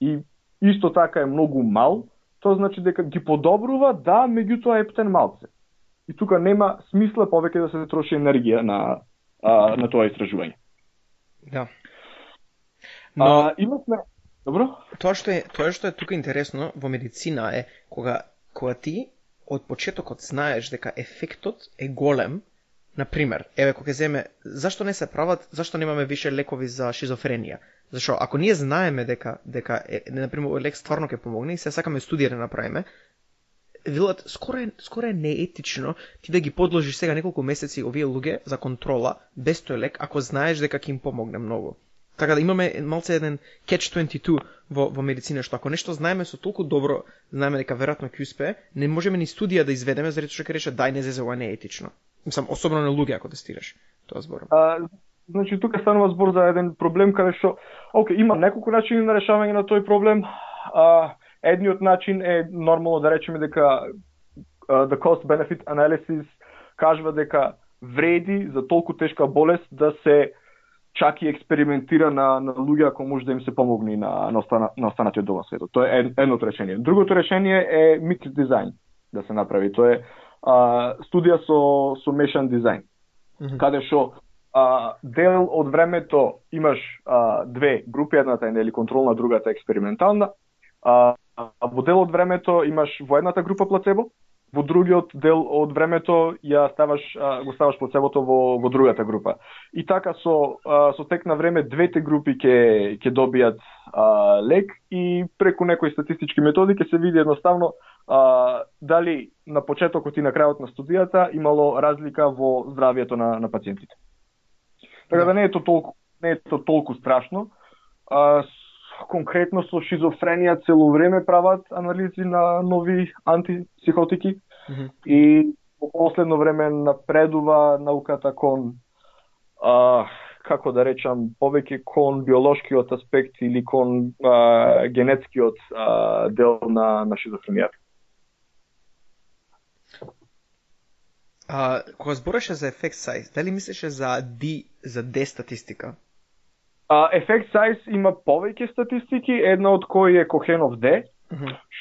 и исто така е многу мал, тоа значи дека ги подобрува, да, меѓутоа ептен малце. И тука нема смисла повеќе да се троши енергија на а, на тоа истражување. Да. Но а, имавме добро? Тоа што е тоа што е тука интересно во медицина е кога кога ти од почетокот знаеш дека ефектот е голем. Например, еве кога земе, зашто не се прават, зашто немаме више лекови за шизофренија? Зашо ако ние знаеме дека дека е, например лек стварно ќе помогне и се сакаме студија да направиме, велат скоро е скоро е неетично ти да ги подложиш сега неколку месеци овие луѓе за контрола без тој лек ако знаеш дека ќе им помогне многу. Така да имаме малце еден catch дваесет и две во во медицина што ако нешто знаеме со толку добро, знаеме дека веројатно ќе успее, не можеме ни студија да изведеме заради што ќе рече дај не зезе ова не е етично. Мислам, особено на луѓе ако тестираш. Тоа зборам. А, значи тука станува збор за еден проблем каде што окей, има неколку начини на решавање на тој проблем. А, едниот начин е нормално да речеме дека uh, the cost benefit analysis кажува дека вреди за толку тешка болест да се чак и експериментира на, на луѓе ако може да им се помогне на, на, остана, на останатиот дел на светот. Тоа е едното решение. Другото решение е mixed design да се направи. Тоа е а, студија со, со мешан дизајн. Mm-hmm. Каде што а, дел од времето имаш а, две групи, едната е нели контролна, другата е експериментална. А, а во дел од времето имаш во едната група плацебо, во другиот дел од времето ја ставаш а, го ставаш плацебото во во другата група. И така со а, со тек на време двете групи ќе ќе добијат а, лек и преку некои статистички методи ќе се види едноставно а, дали на почетокот и на крајот на студијата имало разлика во здравието на на пациентите. Така да не е тоа толку не е тоа толку страшно. А, конкретно со шизофренија цело време прават анализи на нови антипсихотики. Mm-hmm. И во последно време напредува науката кон а, како да речам, повеќе кон биолошкиот аспект или кон а, генетскиот а, дел на, на шизофренијата. А, кога збореше за ефект сайз, дали мислеше за D, за D статистика? А, ефект сайз има повеќе статистики, една од кои е Кохенов D,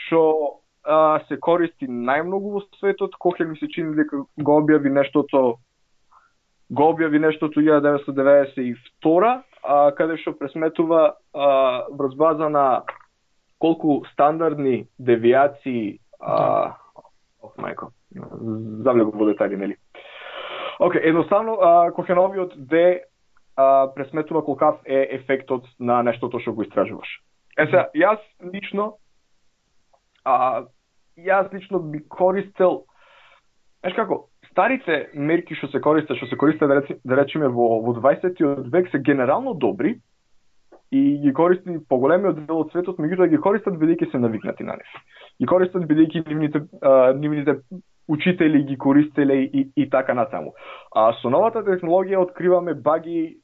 што mm-hmm. се користи најмногу во светот. Кохен ми се чини дека го објави нештото го објави нештото илјада деветстотини деветдесет и втора, а, каде што пресметува а, врз база на колку стандардни девијации а, ох, мајко, завлегу во детали, нели? Океј, едноставно, а, Кохеновиот D а, пресметува колкав е ефектот на нештото што го истражуваш. Е сега, јас лично а, јас лично би користел, знаеш како, старите мерки што се користат, што се користат да, речи, да речеме во, во дваесеттиот век се генерално добри и ги користи поголемиот дел од светот, меѓутоа ги користат бидејќи се навикнати на нив. Ги користат бидејќи нивните, а, нивните учители ги користеле и, и така натаму. А со новата технологија откриваме баги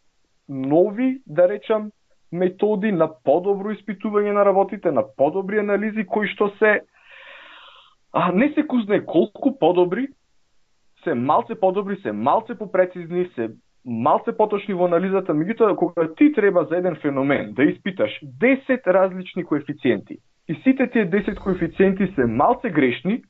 нови, да речам, методи на подобро испитување на работите, на подобри анализи кои што се а, не се кузне колку подобри, се малце подобри, се малце попрецизни, се малце поточни во анализата, меѓутоа кога ти треба за еден феномен да испиташ десет различни коефициенти и сите тие десет коефициенти се малце грешни,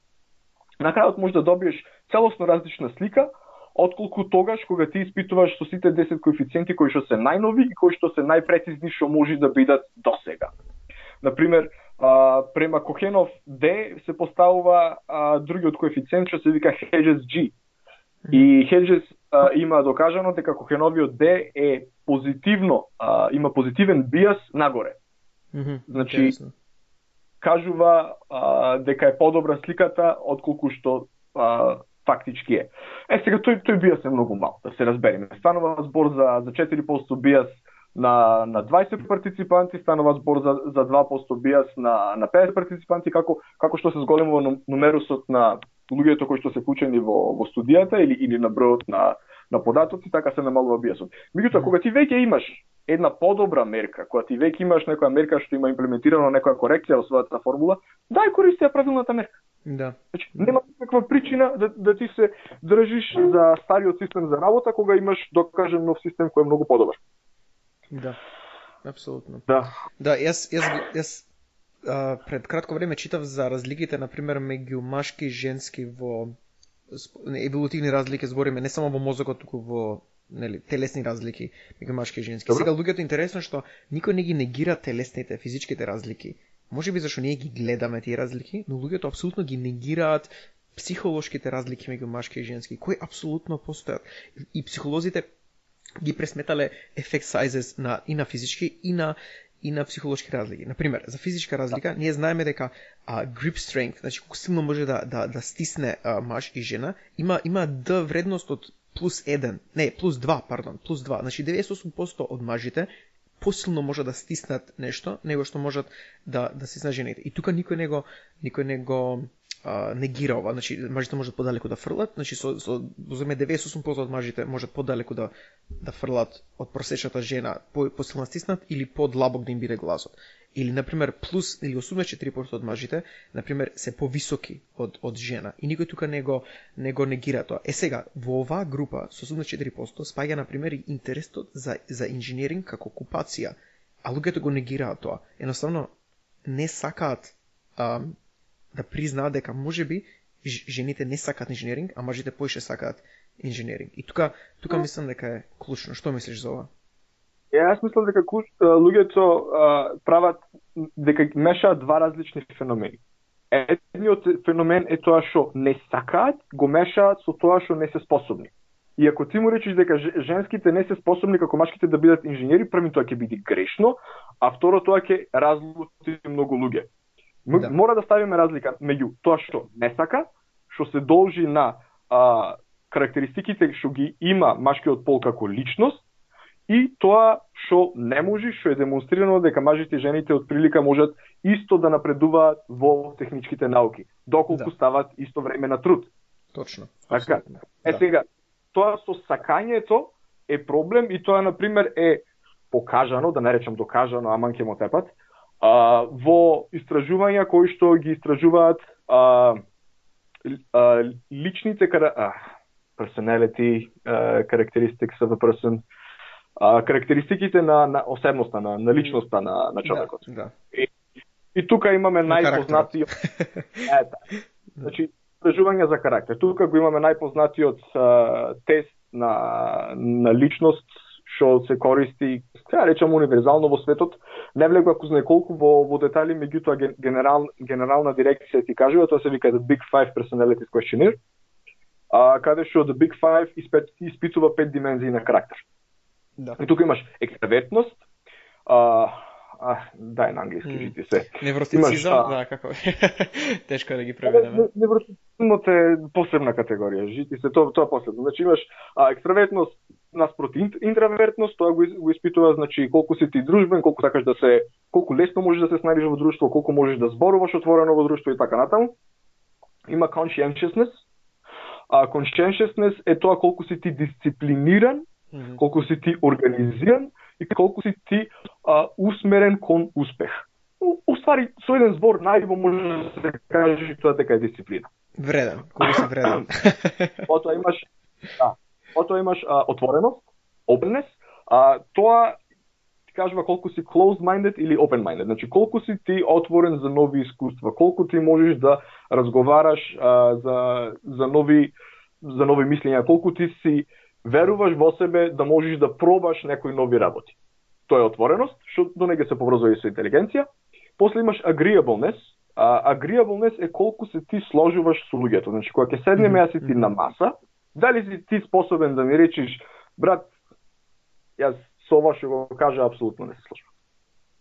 на крајот може да добиеш целосно различна слика, отколку тогаш кога ти испитуваш со сите десет коефициенти кои што се најнови и кои што се најпрецизни што може да бидат досега. Например, а, према Кохенов D се поставува а, другиот коефициент што се вика Hedges G. И Hedges а, има докажано дека Кохеновиот D е позитивно, а, има позитивен биас нагоре. Mm-hmm. Значи, кажува а, дека е подобра сликата отколку што а, фактички е. Е, сега тој тој бијас е многу мал, да се разбереме. Станува збор за за четири проценти бијас на на дваесет партиципанти, станува збор за за два проценти бијас на на петдесет партиципанти, како како што се зголемува нумерусот на луѓето кои што се вклучени во во студијата или или на бројот на на податоци, така се намалува бијасот. Меѓутоа, кога ти веќе имаш една подобра мерка, кога ти веќе имаш некоја мерка што има имплементирано некоја корекција во својата формула, дај користи ја правилната мерка. Да. Значи, нема никаква причина да, да ти се држиш за стариот систем за работа, кога имаш, докажен, нов систем кој е многу подобар. Да, апсолутно. Да. Да, јас, јас, јас а, пред кратко време читав за разликите, например, меѓу машки и женски во еволутивни разлики, збориме не само во мозокот, туку во нели телесни разлики меѓу машки и женски. Добро. Сега луѓето интересно што никој не ги негира телесните, физичките разлики. Може би зашто ние ги гледаме тие разлики, но луѓето апсолутно ги негираат психолошките разлики меѓу машки и женски, кои апсолутно постојат. И психолозите ги пресметале effect sizes на и на физички и на и на психолошки разлики. Например, за физичка разлика, ние знаеме дека а, grip strength, значи колку силно може да да да стисне а, маж и жена, има има д вредност од плюс еден, не, плюс два, пардон, плюс два. Значи деветдесет и осум проценти од мажите посилно може да стиснат нешто, него што можат да да стиснат жените. И тука никој него никој него а, негира ова, значи мажите можат подалеку да фрлат, значи со со воземе деветдесет и осум проценти од мажите можат подалеку да да фрлат од просечната жена, по посилно стиснат или подлабок да им биде гласот. Или например плюс или осумдесет и четири проценти од мажите, например се повисоки од од жена и никој тука не го не го негира тоа. Е сега во оваа група со осумдесет и четири проценти спаѓа например и интересот за за инженеринг како окупација, а луѓето го негираат тоа. Едноставно не сакаат а, да признаат дека можеби жените не сакаат инженеринг, а мажите поише сакаат инженеринг. И тука тука мислам дека е клучно. Што мислиш за ова? Е, јас мислам дека луѓето прават дека мешаат два различни феномени. Едниот феномен е тоа што не сакаат, го мешаат со тоа што не се способни. И ако ти му речеш дека женските не се способни како машките да бидат инженери, први тоа ќе биде грешно, а второ тоа ќе разлути многу луѓе. Да. Мора да ставиме разлика меѓу тоа што не сака, што се должи на а, карактеристиките што ги има машкиот пол како личност, и тоа што не може, што е демонстрирано дека мажите и жените од прилика можат исто да напредуваат во техничките науки, доколку да. стават исто време на труд. Точно. Така. Е сега, тоа со сакањето е проблем и тоа на пример е покажано, да не речам докажано, аман ќе мо тепат, а, во истражувања кои што ги истражуваат а, а, личните кара... а, personality uh, characteristics of a person, uh, карактеристиките на, на осебноста, на, на личноста на, на човекот. Да, да. И, и тука имаме најпознатиот ета. Значи, истражување за карактер. Тука го имаме најпознатиот uh, тест на, на личност, што се користи, да речам, универзално во светот. Не влегува ако знае колку во, во детали, меѓутоа генерал, генерална дирекција ти кажува, тоа се вика The Big Five Personalities Questionnaire, а, каде што The Big Five испит, испитува пет димензии на карактер. Да. И тука имаш екстравертност, а, а, дај на англиски, жити се. Невротицизам, имаш, да, како тешко е да ги преведеме. Невротицизмот е посебна категорија, жити се, тоа тоа посебно. Значи имаш а, екстравертност наспроти интравертност, тоа го, го испитува, значи колку си ти дружбен, колку сакаш да се, колку лесно можеш да се снајдеш во друштво, колку можеш да зборуваш отворено во друштво и така натаму. Има conscientiousness. А conscientiousness е тоа колку си ти дисциплиниран, mm-hmm. колку си ти организиран и колку си ти а, усмерен кон успех. У, уствари, со еден збор најбо може да се каже тоа дека е дисциплина. Вреден, колку си вреден. Потоа имаш, да, потоа имаш а, отвореност, openness, а тоа ти кажува колку си closed-minded или open-minded. Значи колку си ти отворен за нови искуства, колку ти можеш да разговараш а, за за нови за нови мислења, колку ти си веруваш во себе да можеш да пробаш некои нови работи. Тоа е отвореност, што до нега се поврзува и со интелигенција. После имаш agreeableness. А, agreeableness е колку се ти сложуваш со луѓето. Значи кога ќе седнеме јас и ти на маса, дали си ти способен да ми речеш, брат, јас со ова што го кажа апсолутно не се сложувам.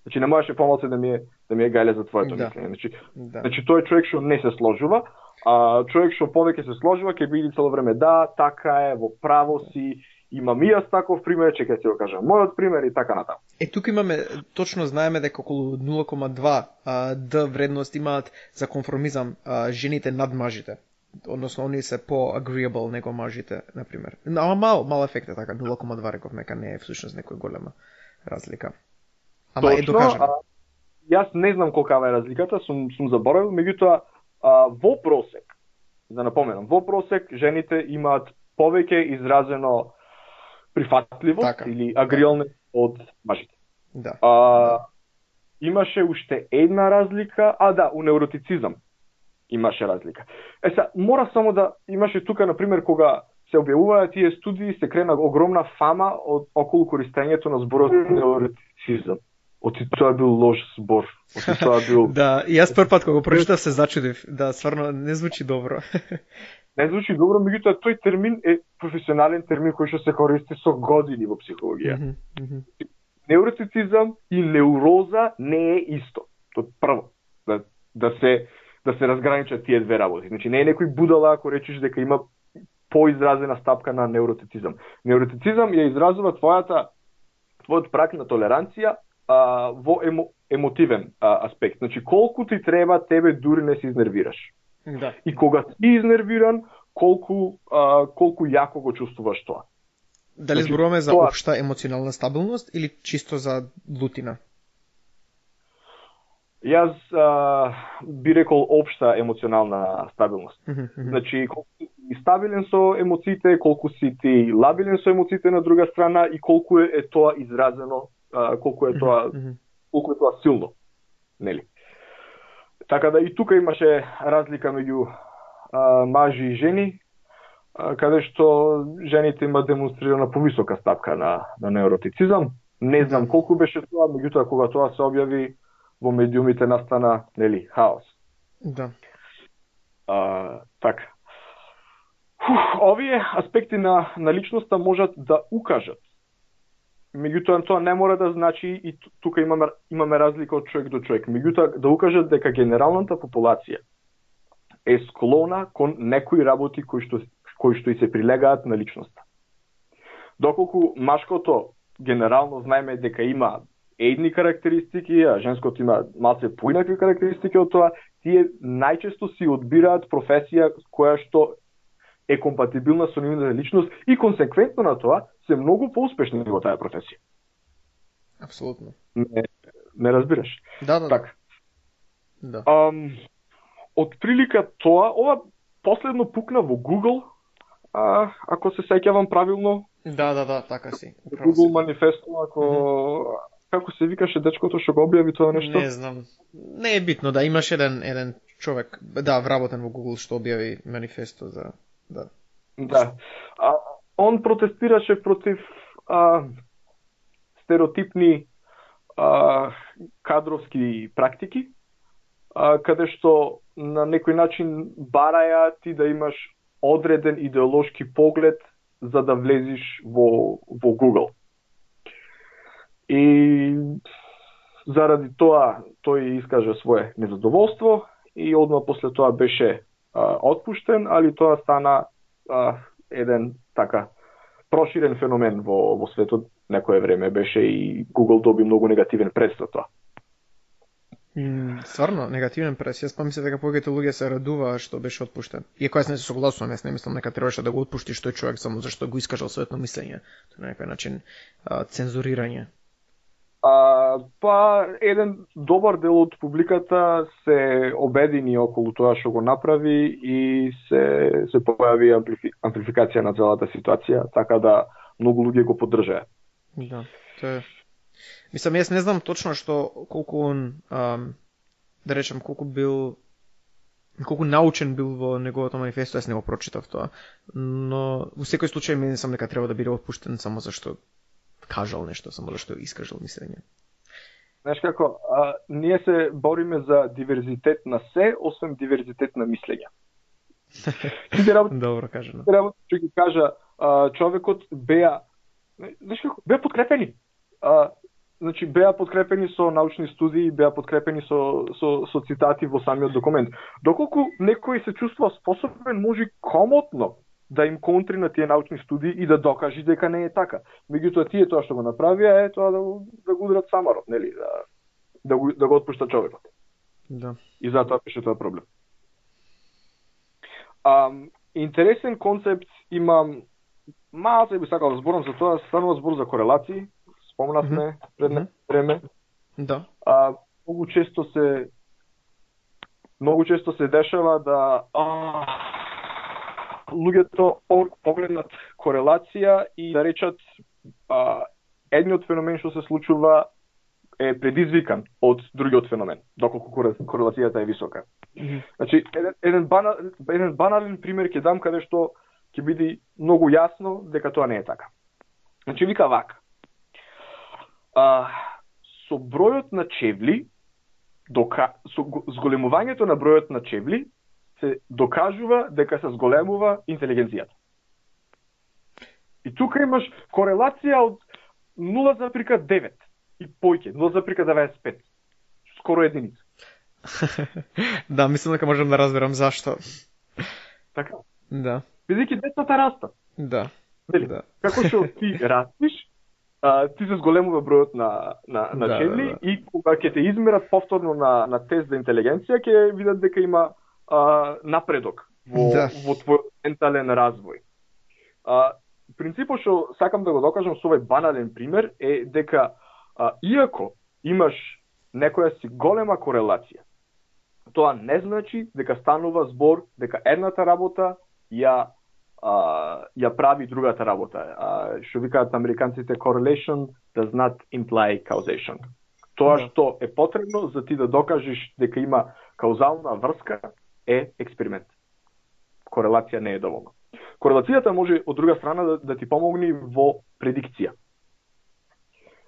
Значи не можеше помалку да ми е да ми е гајле за твоето да. мислење. Значи, да. значи тој човек што не се сложува, А човек што повеќе се сложува ќе биде цело време да, така е, во право си, имам и јас таков пример, че ќе се го кажам мојот пример и така натаму. Е, тука имаме, точно знаеме дека околу нула кома два а, Д вредност имаат за конформизам а, жените над мажите. Односно, они се по-agreeable него мажите, например. Ама мал, мал ефект е така, нула кома два реков, нека не е всушност некој голема разлика. Ама Точно, е докажано. А, јас не знам колкава е разликата, сум, сум заборавил, меѓутоа, а, во просек, да напоменам, во просек жените имаат повеќе изразено прифатливост така, или агриалност од мажите. Да. А, имаше уште една разлика, а да, у неуротицизам имаше разлика. Е са, мора само да имаше тука, например, кога се објавуваа тие студии, се крена огромна фама од околу користењето на зборот неуротицизам. Оти тоа бил лош збор. Оти тоа бил Да, и јас прв пат кога го прочитав се зачудив. Да, стварно не звучи добро. Не звучи добро, меѓутоа тој термин е професионален термин кој што се користи со години во психологија. Mm -hmm. Неуротицизам и неуроза не е исто. Тоа прво да да се да се разграничат тие две работи. Значи не е некој будала ако речеш дека има поизразена стапка на неуротицизам. Неуротицизам ја изразува твојата твојот прак на толеранција а, во емо, емотивен а, аспект. Значи колку ти треба тебе дури не се изнервираш. Да. И кога си изнервиран, колку а, колку јако го чувствуваш тоа. Дали Значи, зборуваме за тоа... општа емоционална стабилност или чисто за лутина? Јас а, би рекол општа емоционална стабилност. Mm -hmm. Значи, колку си стабилен со емоциите, колку си ти лабилен со емоциите на друга страна и колку е, е тоа изразено, а, колку е тоа, mm -hmm. колку е тоа силно, нели? Така да и тука имаше разлика меѓу а, мажи и жени, а, каде што жените има демонстрирана повисока стапка на, на неуротицизам. Не знам колку беше тоа, меѓутоа кога тоа се објави во медиумите настана, нели, хаос. Да. А, така. Фух, овие аспекти на, на личноста можат да укажат. Меѓутоа тоа не мора да значи и тука имаме имаме разлика од човек до човек. Меѓутоа да укажат дека генералната популација е склона кон некои работи кои што кои што и се прилегаат на личноста. Доколку машкото генерално знаеме дека има едни карактеристики, а женското има малце поинакви карактеристики од тоа, тие најчесто си одбираат професија која што е компатибилна со нивната личност и консеквентно на тоа се многу поуспешни во таа професија. Апсолутно. Не, не разбираш? Да, да. Така. Да. Ам, од прилика тоа, ова последно пукна во Google, а, ако се сеќавам правилно. Да, да, да, така си. Google си. Манифесто, ако mm-hmm. Како се викаше дечкото што го објави тоа нешто? Не знам. Не е битно, да, имаш еден еден човек, да, вработен во Google што објави манифесто за да. Да. А, он протестираше против а, стереотипни а, кадровски практики, а, каде што на некој начин бараја ти да имаш одреден идеолошки поглед за да влезиш во, во Google. И заради тоа тој искажа свое незадоволство и одма после тоа беше а, отпуштен, али тоа стана а, еден така проширен феномен во, во светот. Некое време беше и Google доби многу негативен прес за тоа. Mm, стварно, негативен прес. Јас помислам дека повеќето луѓе се радуваа што беше отпуштен. Иако јас не се согласувам, јас не мислам дека требаше да го отпуштиш тој човек само зашто го искажал своето мислење. Тоа на некој начин а, цензурирање. А, па, еден добар дел од публиката се обедини околу тоа што го направи и се, се појави амплифи, амплификација на целата ситуација, така да многу луѓе го поддржаа. Да, тоа е. Мислам, јас не знам точно што, колку он, ам, да речем, колку бил, колку научен бил во неговото манифесто, јас не го прочитав тоа, но во секој случај мислам дека треба да биде отпуштен само зашто кажал нешто, само зашто искажал мислење. Знаеш како, а, ние се бориме за диверзитет на се, освен диверзитет на мислење. Добро кажано. Треба ќе ги кажа, а, човекот беа, знаеш како, беа подкрепени. А, значи беа подкрепени со научни студии, беа подкрепени со со со цитати во самиот документ. Доколку некој се чувствува способен, може комотно да им контри на тие научни студии и да докаже дека не е така. Меѓутоа тие тоа што го направија е тоа да, да го удрат самарот, нели, да да го да го отпушта човекот. Да. И затоа беше тоа проблем. А, интересен концепт имам, малце би сакал да зборам за тоа, станува збор за корелации, спомнавме mm -hmm. пред mm -hmm. време. Да. А, многу често се многу често се дешава да а, луѓето погледнат корелација и да речат а, едниот феномен што се случува е предизвикан од другиот феномен, доколку корелацијата е висока. Mm -hmm. Значи, еден, еден, банал, еден банален пример ќе дам каде што ќе биде многу јасно дека тоа не е така. Значи, вика вака. А, со бројот на чевли, дока, со зголемувањето на бројот на чевли, се докажува дека се зголемува интелигенцијата. И тука имаш корелација од нула запирка девет и појќе, нула запирка деветдесет и пет. Скоро единица. Да, мислам дека можам да разберам зашто. Така? Да. Бидејќи децата растат. Да. Дели? Да. Како што ти растиш, а, ти се зголемува бројот на на на да, чевли да, да. И кога ќе те измерат повторно на на тест за интелигенција, ќе видат дека има а, напредок во да. Во твојот ментален развој. А, принципот што сакам да го докажам со овој банален пример е дека а, иако имаш некоја си голема корелација, тоа не значи дека станува збор дека едната работа ја а, ја прави другата работа. А, што викаат американците, correlation does not imply causation. Тоа да. Што е потребно за ти да докажеш дека има каузална врска е експеримент. Корелација не е доволно. Корелацијата може од друга страна да, да ти помогне во предикција.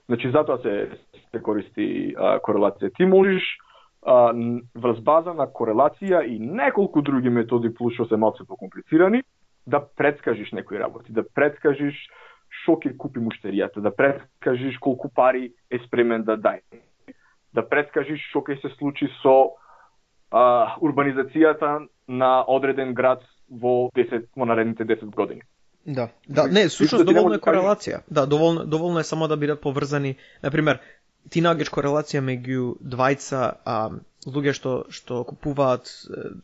Значи затоа се, се користи а, корелација. Ти можеш а, врз база на корелација и неколку други методи плюс што се малку покомплицирани да предскажиш некои работи, да предскажиш што ќе купи муштеријата, да предскажиш колку пари е спремен да даде, да предскажиш што ќе се случи со а, урбанизацијата на одреден град во десет во наредните десет години. Да, да, не, сушност доволно е корелација. Да, доволно, доволно е само да бидат поврзани. Например, ти наѓаш корелација меѓу двајца а, луѓе што што купуваат,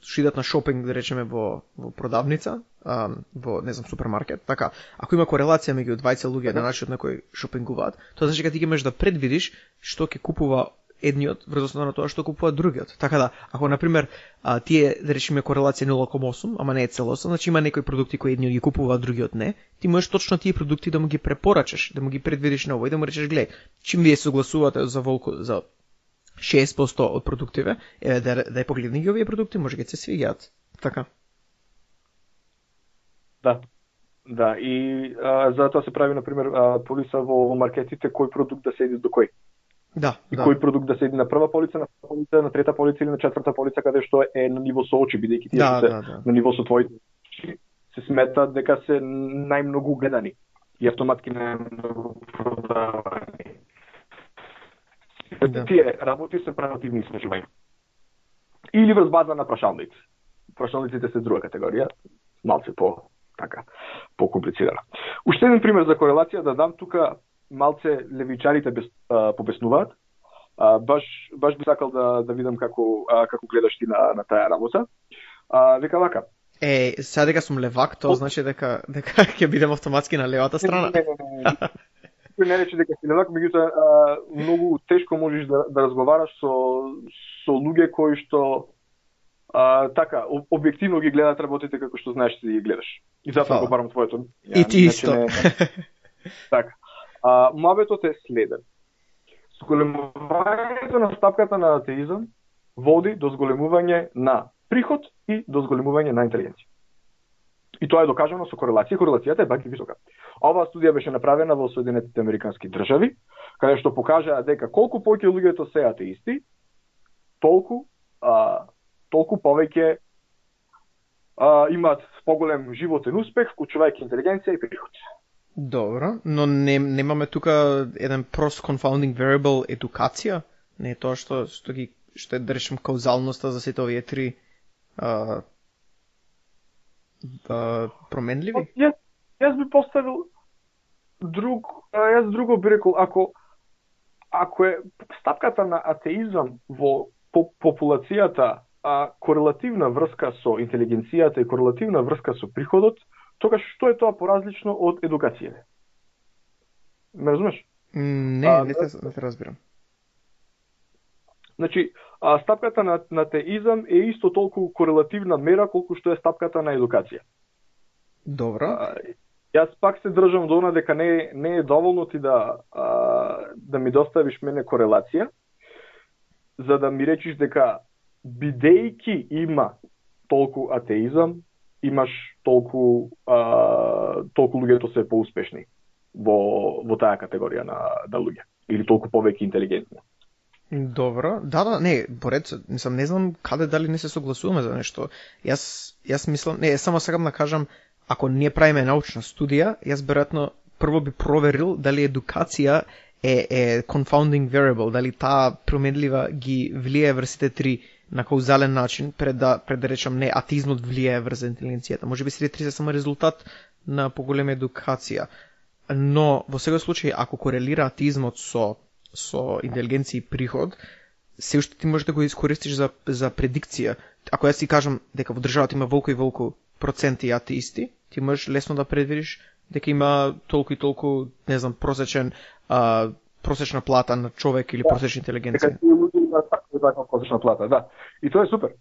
што идат на шопинг, да речеме во во продавница, а, во не знам супермаркет. Така, ако има корелација меѓу двајца луѓе на начинот на кој шопингуваат, тоа значи дека ти ќе можеш да предвидиш што ќе купува едниот врз основа на тоа што купува другиот. Така да, ако на пример а, тие да речеме корелација нула кoma осум, ама не е целосно, значи има некои продукти кои едниот ги купува, а другиот не, ти можеш точно тие продукти да му ги препорачаш, да му ги предвидиш на овој, да му речеш гледај, чим вие согласувате за волку за шеесет проценти од продуктиве, еве да да погледни ги овие продукти, може ги се свиѓаат. Така. Да. Да, и а, затоа се прави на пример а, полиса во маркетите кој продукт да седи до кој. Да, и да. кој продукт да седи на прва полица, на полица, на трета полица или на четврта полица, каде што е на ниво со очи, бидејќи тие да, се да, да. на ниво со твоите очи, се смета дека се најмногу гледани и автоматски најмногу продавани. Да. Тие работи се правативни искажувања. Или врз база на прашалници. Прашалниците се друга категорија, малце по така покомплицирана. Уште еден пример за корелација да дам тука. Малце левичарите без, а, побеснуваат. А, баш баш би сакал да да видам како а, како гледаш ти на на таа работа. А, века вака. Е, сега дека сум левак, тоа значи дека дека ќе бидем автоматски на левата страна. Не, не, не, не. Кој не рече дека си левак, меѓутоа многу тешко можеш да да разговараш со со луѓе кои што а, така објективно ги гледаат работите како што знаеш да ги гледаш. И затоа го барам твоето. И ти исто. Не... така. А, мабетот е следен. Зголемувањето на стапката на атеизам води до зголемување на приход и до зголемување на интелигенција. И тоа е докажано со корелација. Корелацијата е баки висока. Оваа студија беше направена во Соединетите Американски држави, каде што покажаа дека колку повеќе луѓето се атеисти, толку а, толку повеќе а, имаат поголем животен успех, вклучувајќи интелигенција и приход. Добро, но не, немаме тука еден прост confounding variable едукација? Не е тоа што, што ги што е, да речем, каузалноста за сите овие три а, а, променливи? Јас, јас би поставил друг, јас друго би рекол, ако ако е стапката на атеизам во по, популацијата а, корелативна врска со интелигенцијата и корелативна врска со приходот, тогаш што е тоа поразлично од едукацијата? Ме разумеш? Не, а, не те, не те разбирам. Значи, а, стапката на, на атеизам е исто толку корелативна мера колку што е стапката на едукација. Добро. А, јас пак се држам до она дека не, не е доволно ти да, а, да ми доставиш мене корелација, за да ми речиш дека бидејќи има толку атеизам, имаш толку а, толку луѓето се поуспешни во во таа категорија на на луѓе или толку повеќе интелигентни. Добро. Да, да, не, поред, мислам, не знам каде дали не се согласуваме за нешто. Јас јас мислам, не, само сакам да кажам, ако ние правиме научна студија, јас веројатно прво би проверил дали едукација е е confounding variable, дали таа променлива ги влијае врз сите три на каузален начин, пред да, пред да речам не, атеизмот влијае врз интелигенцијата. Може би сите три се само резултат на поголема едукација. Но во секој случај, ако корелира атеизмот со со интелигенција и приход, се уште ти можеш да го искористиш за за предикција. Ако јас ти кажам дека во државата има волку и волку проценти атеисти, ти можеш лесно да предвидиш дека има толку и толку, не знам, просечен а, просечна плата на човек или да, просечна интелигенција. Дека тие луѓе имаат таква просечна плата, да. И тоа е супер.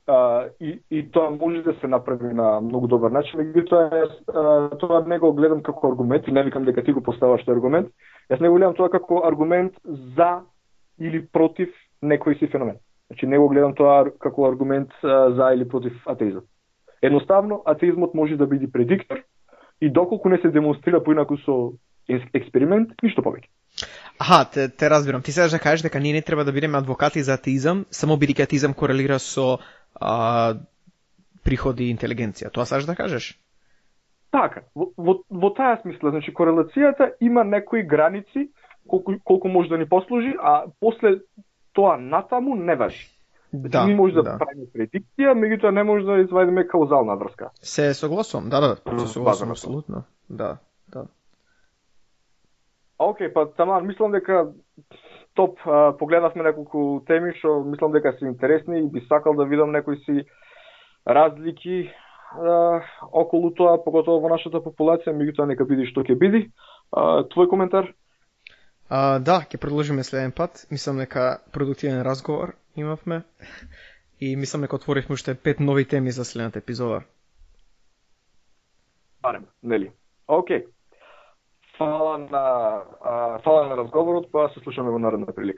А, и, и тоа може да се направи на многу добар начин, меѓутоа тоа не го гледам како аргумент и не викам дека ти го поставаш тој аргумент. Јас не го гледам тоа како аргумент за или против некој си феномен. Значи не го гледам тоа како аргумент а, за или против атеизам. Едноставно атеизмот може да биде предиктор и доколку не се демонстрира поинаку со експеримент, ништо повеќе. Аха, те, те разбирам. Ти сакаш да кажеш дека ние не треба да бидеме адвокати за атеизам, само бидејќи атеизам корелира со а, приходи и интелигенција. Тоа сакаш да кажеш? Така, во, во, во таа смисла, значи корелацијата има некои граници колку, колку може да ни послужи, а после тоа натаму не важи. Да, ние може да, да. правиме предикција, меѓутоа не може да извадиме каузална врска. Се согласувам, да, да, се согласувам апсолутно. Да, да. Океј, па таман, мислам дека топ, а, погледавме неколку теми што мислам дека се интересни и би сакал да видам некои си разлики а, околу тоа, поготово во нашата популација, меѓутоа нека биде што ќе биде. А, твој коментар? А, да, ќе продолжиме следен пат. Мислам дека продуктивен разговор имавме и мислам дека отворивме уште пет нови теми за следната епизода. Барем, нели? Океј. Фала на, а, фала на разговорот, па се слушаме во наредна прилика.